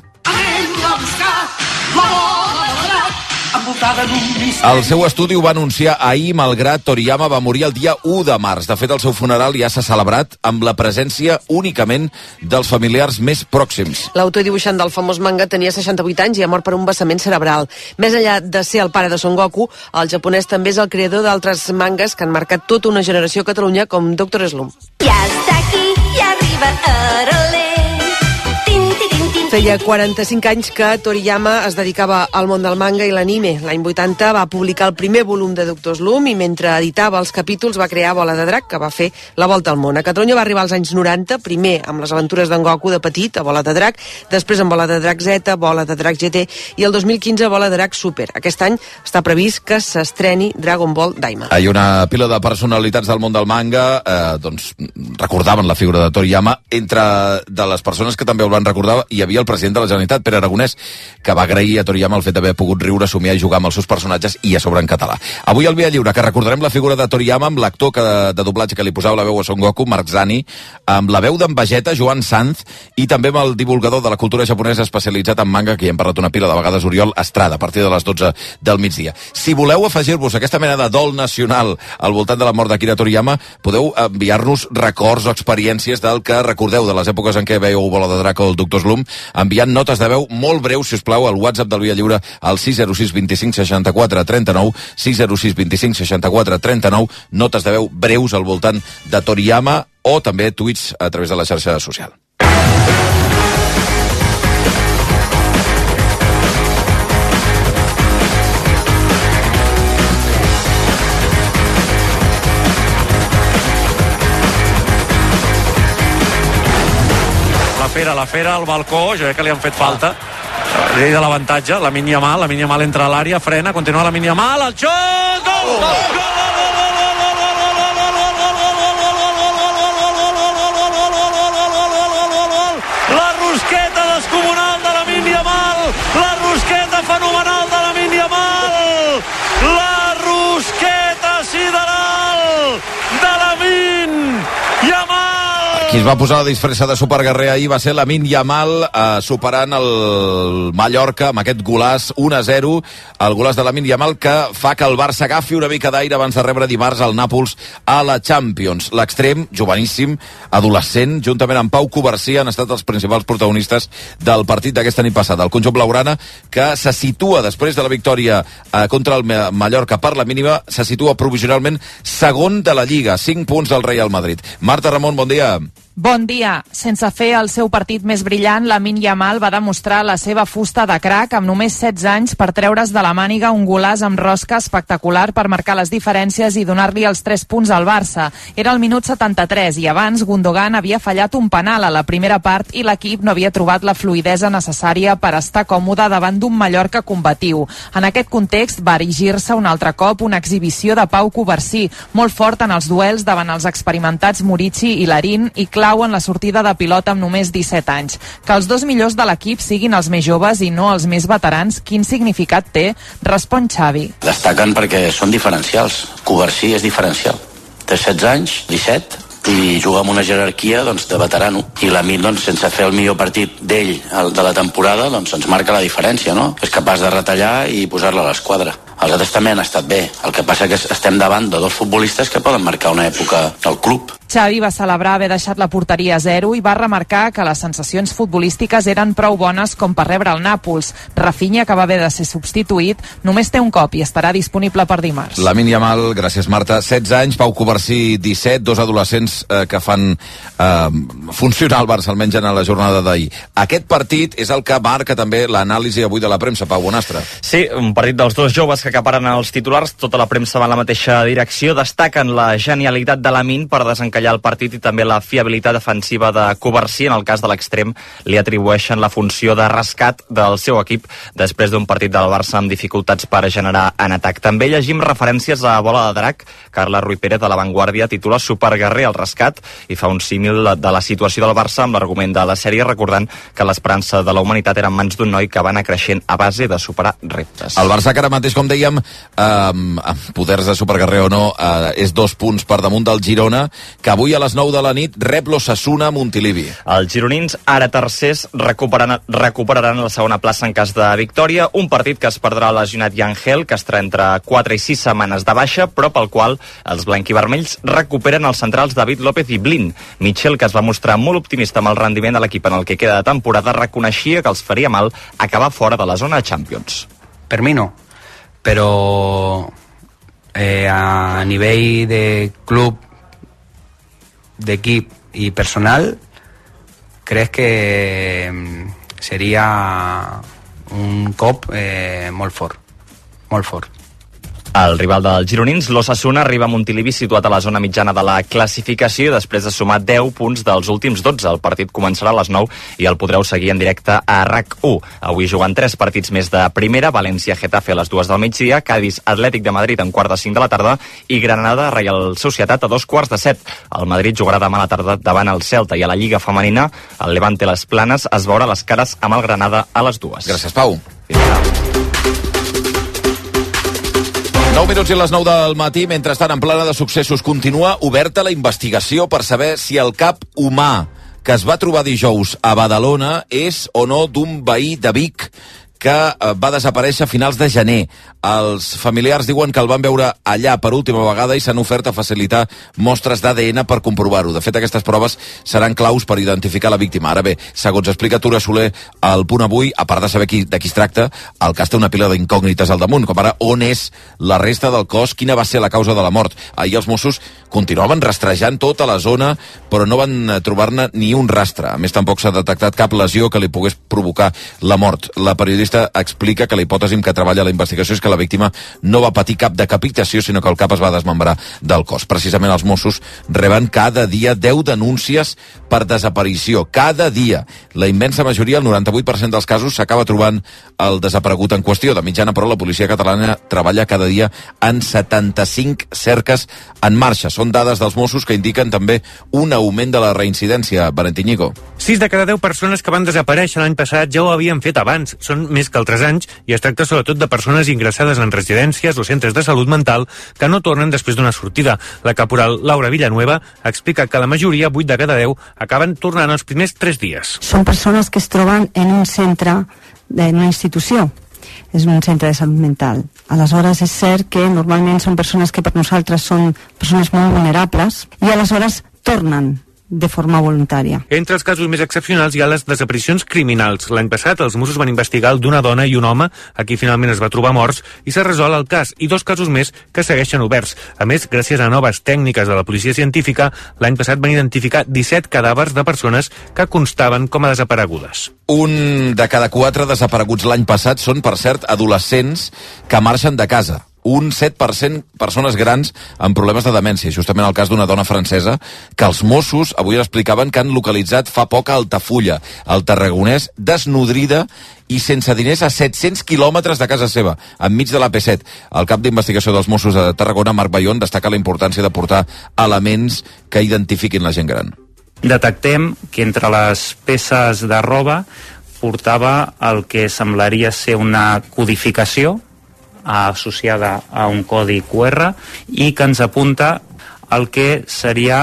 El seu estudi ho va anunciar ahir, malgrat Toriyama va morir el dia u de març. De fet, el seu funeral ja s'ha celebrat amb la presència únicament dels familiars més pròxims. L'autor i dibuixant del famós manga tenia seixanta-vuit anys i ha mort per un vessament cerebral. Més enllà de ser el pare de Son Goku, el japonès també és el creador d'altres mangas que han marcat tota una generació a Catalunya, com Doctor Slump. Ja està aquí, ja arriba Arolé. Feia quaranta-cinc anys que Toriyama es dedicava al món del manga i l'anime. L'any vuitanta va publicar el primer volum de Doctor Slump i mentre editava els capítols va crear Bola de Drac, que va fer la volta al món. A Catalunya va arribar als anys noranta, primer amb les aventures d'en Goku de petit, a Bola de Drac, després amb Bola de Drac Z, Bola de Drac G T i el dos mil quinze Bola de Drac Super. Aquest any està previst que s'estreni Dragon Ball Daima. Hi ha una pila de personalitats del món del manga, eh, doncs recordaven la figura de Toriyama. Entre de les persones que també el van recordar hi havia el president de la Generalitat, Pere Aragonès, que va agrair a Toriyama el fet d'haver pogut riure, somiar i jugar amb els seus personatges i a sobre en català. Avui al Via Lliure, que recordarem la figura de Toriyama amb l'actor que, de doblatge que li posava la veu a Son Goku, Marc Zani, amb la veu d'en Vegeta, Joan Sanz, i també amb el divulgador de la cultura japonesa especialitzat en manga, que ja hem parlat una pila de vegades, Oriol Estrada, a partir de les dotze del migdia. Si voleu afegir-vos aquesta mena de dol nacional al voltant de la mort d'Akira Toriyama, podeu enviar-nos records o experiències del que recordeu de les èpoques en què veieu Bola de Drac o el Doctor Slump, enviant notes de veu molt breus, si us plau, al WhatsApp del Via Lliure al sis zero sis vint cinc seixanta-quatre trenta-nou, sis zero sis vint cinc seixanta-quatre trenta-nou, notes de veu breus al voltant de Toriyama o també tuits a través de la xarxa social. La fera, la fera al balcó, jo crec que li han fet falta. Llei de l'avantatge, la Yamal, la Yamal entra a l'àrea, frena, continua la Yamal, el xut, gol! Gol! La rosqueta descomunal de la Yamal, la rosqueta fenomenal de la Yamal, la rosqueta sideral de la Yamal. Qui es va posar la disfressa de superguerrer ahir va ser Lamine Yamal, eh, superant el Mallorca amb aquest golàs un a zero, el golàs de Lamine Yamal que fa que el Barça agafi una mica d'aire abans de rebre dimarts al Nàpols a la Champions. L'extrem, joveníssim, adolescent, juntament amb Pau Covarsí, han estat els principals protagonistes del partit d'aquesta nit passada. El conjunt blaugrana, que se situa després de la victòria eh, contra el Mallorca per la mínima, se situa provisionalment segon de la Lliga, cinc punts del Real Madrid. Marta Ramon, bon dia. Bon dia. Sense fer el seu partit més brillant, Lamine Yamal va demostrar la seva fusta de crac amb només setze anys per treure's de la màniga un golaç amb rosca espectacular per marcar les diferències i donar-li els tres punts al Barça. Era el minut setanta-tres i abans Gundogan havia fallat un penal a la primera part i l'equip no havia trobat la fluïdesa necessària per estar còmode davant d'un Mallorca combatiu. En aquest context va erigir-se un altre cop una exhibició de Pau Covarsí, molt fort en els duels davant els experimentats Murici i Larín i clau en la sortida de pilota amb només disset anys. Que els dos millors de l'equip siguin els més joves i no els més veterans, quin significat té? Respon Xavi. Destaquen perquè són diferencials. Covarsí és diferencial. Té setze anys, disset, i juga amb una jerarquia doncs, de veterano. I Lamine, doncs, sense fer el millor partit d'ell de la temporada, doncs ens marca la diferència, no? És capaç de retallar i posar-la a l'esquadra. Els altres també han estat bé. El que passa que estem davant de dos futbolistes que poden marcar una època al club. Xavi va celebrar haver deixat la porteria a zero i va remarcar que les sensacions futbolístiques eren prou bones com per rebre el Nàpols. Rafinha, que va haver de ser substituït, només té un cop i estarà disponible per dimarts. Lamine Yamal, gràcies Marta, setze anys, Pau Covarsí disset, dos adolescents eh, que fan eh, funcionar el Barça, almenys en la jornada d'ahir. Aquest partit és el que marca també l'anàlisi avui de la premsa, Pau Bonastre. Sí, un partit dels dos joves que acaparen els titulars, tota la premsa va en la mateixa direcció, destaquen la genialitat de Lamine per desencallar el partit i també la fiabilitat defensiva de Covarsí. En el cas de l'extrem li atribueixen la funció de rescat del seu equip després d'un partit del Barça amb dificultats per generar en atac. També llegim referències a Bola de Drac. Carla Ruiz Pérez de La Vanguardia titula Superguerrer al rescat i fa un símil de la situació del Barça amb l'argument de la sèrie, recordant que l'esperança de la humanitat era en mans d'un noi que va anar creixent a base de superar reptes. El Barça que ara mateix, com dèiem, eh, amb poders de superguerrer o no, eh, és dos punts per damunt del Girona, que avui a les nou de la nit rep l'Osasuna a Montilivi. Els gironins, ara tercers, recuperaran, recuperaran la segona plaça en cas de victòria, un partit que es perdrà lesionat Yangel, que estarà entre quatre i sis setmanes de baixa, però pel qual els blanquivermells recuperen els centrals David López i Blin. Michel, que es va mostrar molt optimista amb el rendiment de l'equip en el que queda de temporada, reconeixia que els faria mal acabar fora de la zona de Champions. Per mi no, però eh, a nivell de club, d'equip i personal, crec que seria un cop eh, molt fort, molt fort. El rival dels gironins, l'Osasuna, arriba a Montilivi situat a la zona mitjana de la classificació després de sumar deu punts dels últims dotze. El partit començarà a les nou i el podreu seguir en directe a RAC u. Avui jugant tres partits més de primera, València-Getafe a les dues del migdia, Cádiz Atlètic de Madrid en quart de cinc de la tarda i Granada Reial Societat a dos quarts de set. El Madrid jugarà demà a la tarda davant el Celta i a la Lliga Femenina el Levante Les Planes es veurà les cares amb el Granada a les dues. Gràcies, Pau. nou minuts i les nou del matí. Mentrestant, en plana de successos, continua oberta la investigació per saber si el cap humà que es va trobar dijous a Badalona és o no d'un veí de Vic que va desaparèixer a finals de gener. Els familiars diuen que el van veure allà per última vegada i s'han ofert a facilitar mostres d'A D N per comprovar-ho. De fet, aquestes proves seran claus per identificar la víctima. Ara bé, segons explica Tura Soler al Punt Avui, a part de saber qui, de qui es tracta, el cas té una pila d'incògnites al damunt, com ara on és la resta del cos, quina va ser la causa de la mort. Ahir els Mossos continuaven rastrejant tota la zona, però no van trobar-ne ni un rastre. A més, tampoc s'ha detectat cap lesió que li pogués provocar la mort. La periodista explica que la hipòtesi amb què treballa la investigació és que la víctima no va patir cap decapitació, sinó que el cap es va desmembrar del cos. Precisament els Mossos reben cada dia deu denúncies per desaparició. Cada dia. La immensa majoria, el noranta-vuit per cent dels casos, s'acaba trobant el desaparegut en qüestió. De mitjana, però, la policia catalana treballa cada dia en setanta-cinc cerques en marxa. Són dades dels Mossos que indiquen també un augment de la reincidència. Valentín Ñigo. sis de cada deu persones que van desaparèixer l'any passat ja ho havien fet abans. Són més que altres anys i es tracta sobretot de persones ingressades en residències o centres de salut mental que no tornen després d'una sortida. La caporal Laura Villanueva explica que la majoria, vuit de cada deu, acaben tornant els primers tres dies. Són persones que es troben en un centre, en una institució. És un centre de salut mental. Aleshores, és cert que normalment són persones que per nosaltres són persones molt vulnerables i aleshores tornen de forma voluntària. Entre els casos més excepcionals hi ha les desaparicions criminals. L'any passat els Mossos van investigar el d'una dona i un home, a qui finalment es va trobar morts, i s'ha resolt el cas, i dos casos més que segueixen oberts. A més, gràcies a noves tècniques de la policia científica, l'any passat van identificar disset cadàvers de persones que constaven com a desaparegudes. Un de cada quatre desapareguts l'any passat són, per cert, adolescents que marxen de casa. Un set per cent persones grans amb problemes de demència, justament el cas d'una dona francesa que els Mossos avui explicaven que han localitzat fa poc a Altafulla, al Tarragonès, desnodrida i sense diners a set-cents quilòmetres de casa seva, enmig de la P set. El cap d'investigació dels Mossos de Tarragona, Marc Bayón, destaca la importància de portar elements que identifiquin la gent gran. Detectem que entre les peces de roba portava el que semblaria ser una codificació associada a un codi Q R i que ens apunta el que seria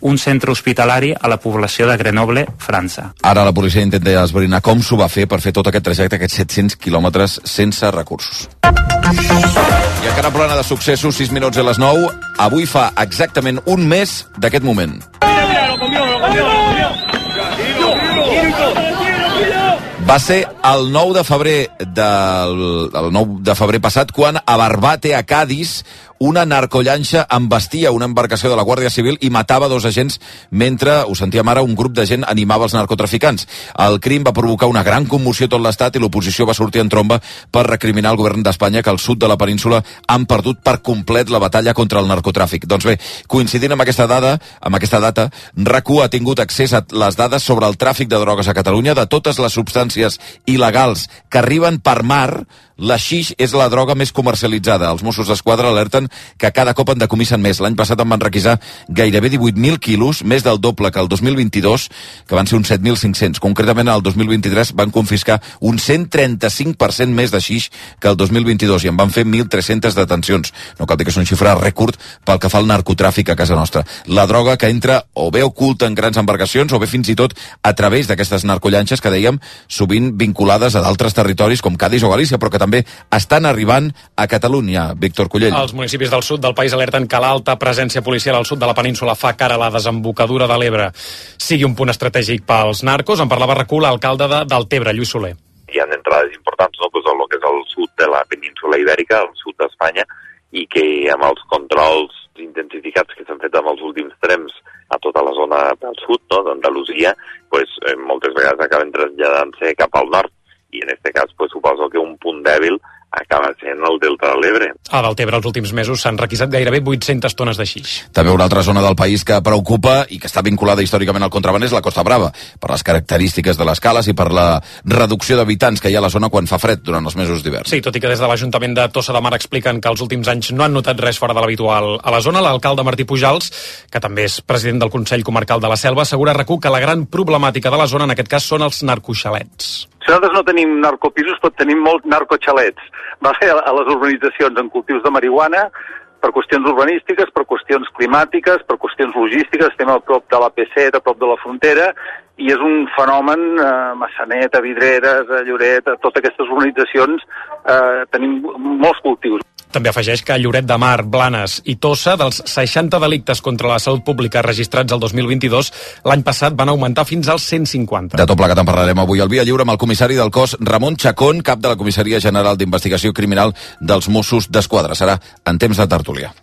un centre hospitalari a la població de Grenoble, França. Ara la policia intenta esbrinar com s'ho va fer per fer tot aquest trajecte, aquests set-cents quilòmetres sense recursos. I encara plana de successos, sis minuts a les nou. Avui fa exactament un mes d'aquest moment. Va ser el nou de febrer del el nou de febrer passat quan a Barbate, a Cádiz, una narcollanxa embestia una embarcació de la Guàrdia Civil i matava dos agents mentre, ho sentíem ara, un grup de gent animava els narcotraficants. El crim va provocar una gran commoció a tot l'estat i l'oposició va sortir en tromba per recriminar al govern d'Espanya que al sud de la península han perdut per complet la batalla contra el narcotràfic. Doncs bé, coincidint amb aquesta dada, amb aquesta data, RAC1 ha tingut accés a les dades sobre el tràfic de drogues a Catalunya, de totes les substàncies il·legals que arriben per mar. La xix és la droga més comercialitzada. Els Mossos d'Esquadra alerten que cada cop en decomisen més. L'any passat en van requisar gairebé divuit mil quilos, més del doble que el dos mil vint-i-dos, que van ser uns set mil cinc-cents. Concretament, el dos mil vint-i-tres van confiscar un cent trenta-cinc per cent més de xix que el dos mil vint-i-dos i en van fer mil tres-centes detencions. No cal dir que és un xifra rècord pel que fa al narcotràfic a casa nostra. La droga que entra o bé oculta en grans embarcacions o bé fins i tot a través d'aquestes narcollanxes que dèiem sovint vinculades a d'altres territoris com Cádiz o Galícia, però que també estan arribant a Catalunya. Víctor Cullell. Els municipis del sud del país alerten que l'alta presència policial al sud de la península fa que ara la desembocadura de l'Ebre sigui un punt estratègic pels narcos. En parlava RAC1 l'alcalde de Deltebre, Lluís Soler. Hi ha entrades importants, no?, pues, el que és el sud de la península ibèrica, el sud d'Espanya, i que amb els controls intensificats que s'han fet amb els últims temps a tota la zona del sud, no?, d'Andalusia, pues, eh, moltes vegades acaben traslladant-se cap al nord. I en aquest cas pues, suposo que un punt dèbil acaba sent el delta de l'Ebre. A Deltebre els últims mesos s'han requisat gairebé vuit-centes tones de xix. També una altra zona del país que preocupa i que està vinculada històricament al contraban és la Costa Brava, per les característiques de les cales i per la reducció d'habitants que hi ha a la zona quan fa fred durant els mesos d'hivern. Sí, tot i que des de l'Ajuntament de Tossa de Mar expliquen que els últims anys no han notat res fora de l'habitual a la zona, l'alcalde Martí Pujals, que també és president del Consell Comarcal de la Selva, assegura a RAC1 que la gran problemàtica de la zona en aquest cas són els narcoxalets. Si nosaltres no tenim narcopisos, però tenim molts narcoxalets. Va fer a les urbanitzacions en cultius de marihuana, per qüestions urbanístiques, per qüestions climàtiques, per qüestions logístiques, estem a prop de la P set, a prop de la frontera, i és un fenomen, eh, Massanet, a Vidreres, a Lloret, a totes aquestes urbanitzacions, eh, tenim molts cultius. També afegeix que a Lloret de Mar, Blanes i Tossa, dels seixanta delictes contra la salut pública registrats el dos mil vint-i-dos, l'any passat van augmentar fins als cent cinquanta. De tot plegat en parlarem avui al Via Lliure amb el comissari del cos, Ramon Chacón, cap de la Comissaria General d'Investigació Criminal dels Mossos d'Esquadra. Serà en temps de tertúlia.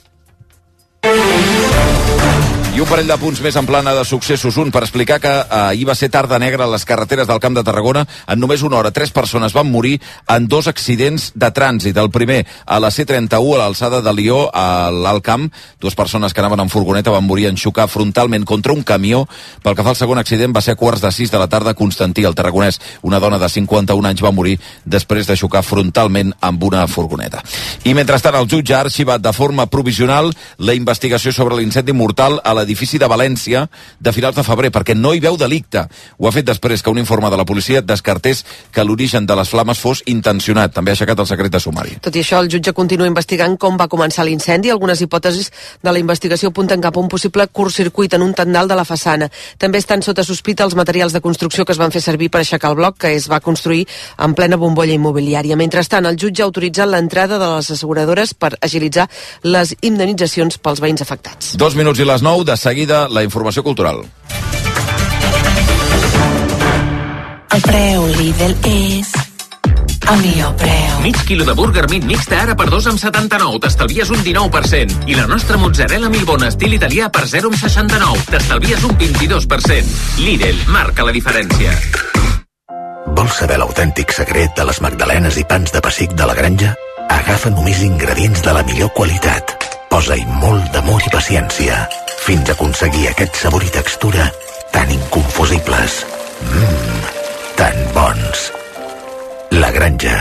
I un parell de punts més en plana de successos. Un, per explicar que eh, ahir va ser tarda negra a les carreteres del Camp de Tarragona. En només una hora, tres persones van morir en dos accidents de trànsit. El primer, a la C trenta-u, a l'alçada de Lió, a l'Alt Camp. Dues persones que anaven en furgoneta van morir en xocar frontalment contra un camió. Pel que fa al segon accident, va ser a quarts de sis de la tarda a Constantí, al Tarragonès. Una dona de cinquanta-un anys va morir després de xocar frontalment amb una furgoneta. I mentrestant, el jutge ha arxivat de forma provisional la investigació sobre l'incendi mortal a l'edifici de València de finals de febrer, perquè no hi veu delicte. Ho ha fet després que un informe de la policia descartés que l'origen de les flames fos intencionat. També ha aixecat el secret de sumari. Tot i això, el jutge continua investigant com va començar l'incendi. Algunes hipòtesis de la investigació apunten cap a un possible curtcircuit en un tendal de la façana. També estan sota sospita els materials de construcció que es van fer servir per aixecar el bloc, que es va construir en plena bombolla immobiliària. Mentrestant, el jutge ha autoritzat l'entrada de les asseguradores per agilitzar les indemnitzacions pels veïns afectats. Dos minuts i les nou, de De seguida, la informació cultural. El preu Lidl és el millor preu. Mig quilo de burger meat mixta ara per dos coma setanta-nou. T'estalvies un dinou per cent. I la nostra mozzarella Milbona estil italià per zero coma seixanta-nou. T'estalvies un vint-i-dos per cent. Lidl marca la diferència. Vols saber l'autèntic secret de les magdalenes i pans de pessic de la granja? Agafa només ingredients de la millor qualitat. Posa-hi molt d'amor i paciència, fins a aconseguir aquest sabor i textura tan inconfusibles. Mmm, tan bons. La Granja,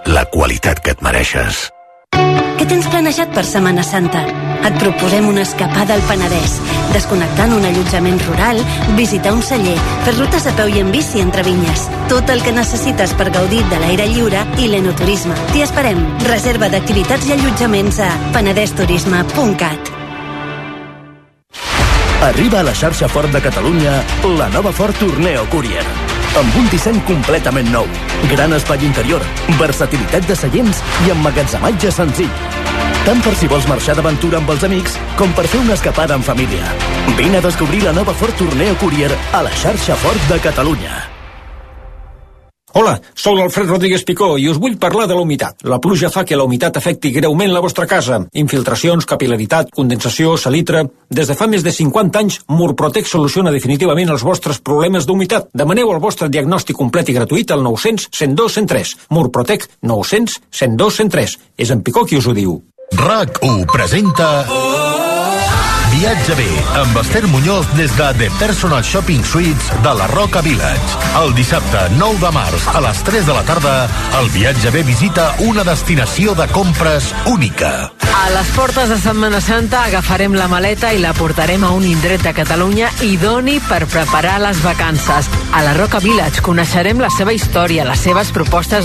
la qualitat que et mereixes. Què tens planejat per Setmana Santa? Et proposem una escapada al Penedès, desconnectar en un allotjament rural, visitar un celler, fer rutes a peu i en bici entre vinyes. Tot el que necessites per gaudir de l'aire lliure i l'enoturisme. T'hi esperem. Reserva d'activitats i allotjaments a penedesturisme punt cat. Arriba a la xarxa Ford de Catalunya la nova Ford Tourneo Courier. Amb un disseny completament nou, gran espai interior, versatilitat de seients i emmagatzematge senzill. Tant per si vols marxar d'aventura amb els amics com per fer una escapada en família. Vine a descobrir la nova Ford Tourneo Courier a la xarxa Ford de Catalunya. Hola, sóc l'Alfred Rodríguez Picó i us vull parlar de la humitat. La pluja fa que la humitat afecti greument la vostra casa. Infiltracions, capil·laritat, condensació, salitre... Des de fa més de cinquanta anys, Murprotec soluciona definitivament els vostres problemes d'humitat. Demaneu el vostre diagnòstic complet i gratuït al nou cents, cent dos, cent tres. Murprotec nou cents, cent dos, cent tres. És en Picó qui us ho diu. RAC u presenta... Viatge bé, amb Esther Muñoz des de The Personal Shopping Suites de la Roca Village. El dissabte nou de març a les tres de la tarda, el Viatge bé visita una destinació de compres única. A les portes de Setmana Santa agafarem la maleta i la portarem a un indret de Catalunya idoni per preparar les vacances. A la Roca Village coneixerem la seva història, les seves propostes de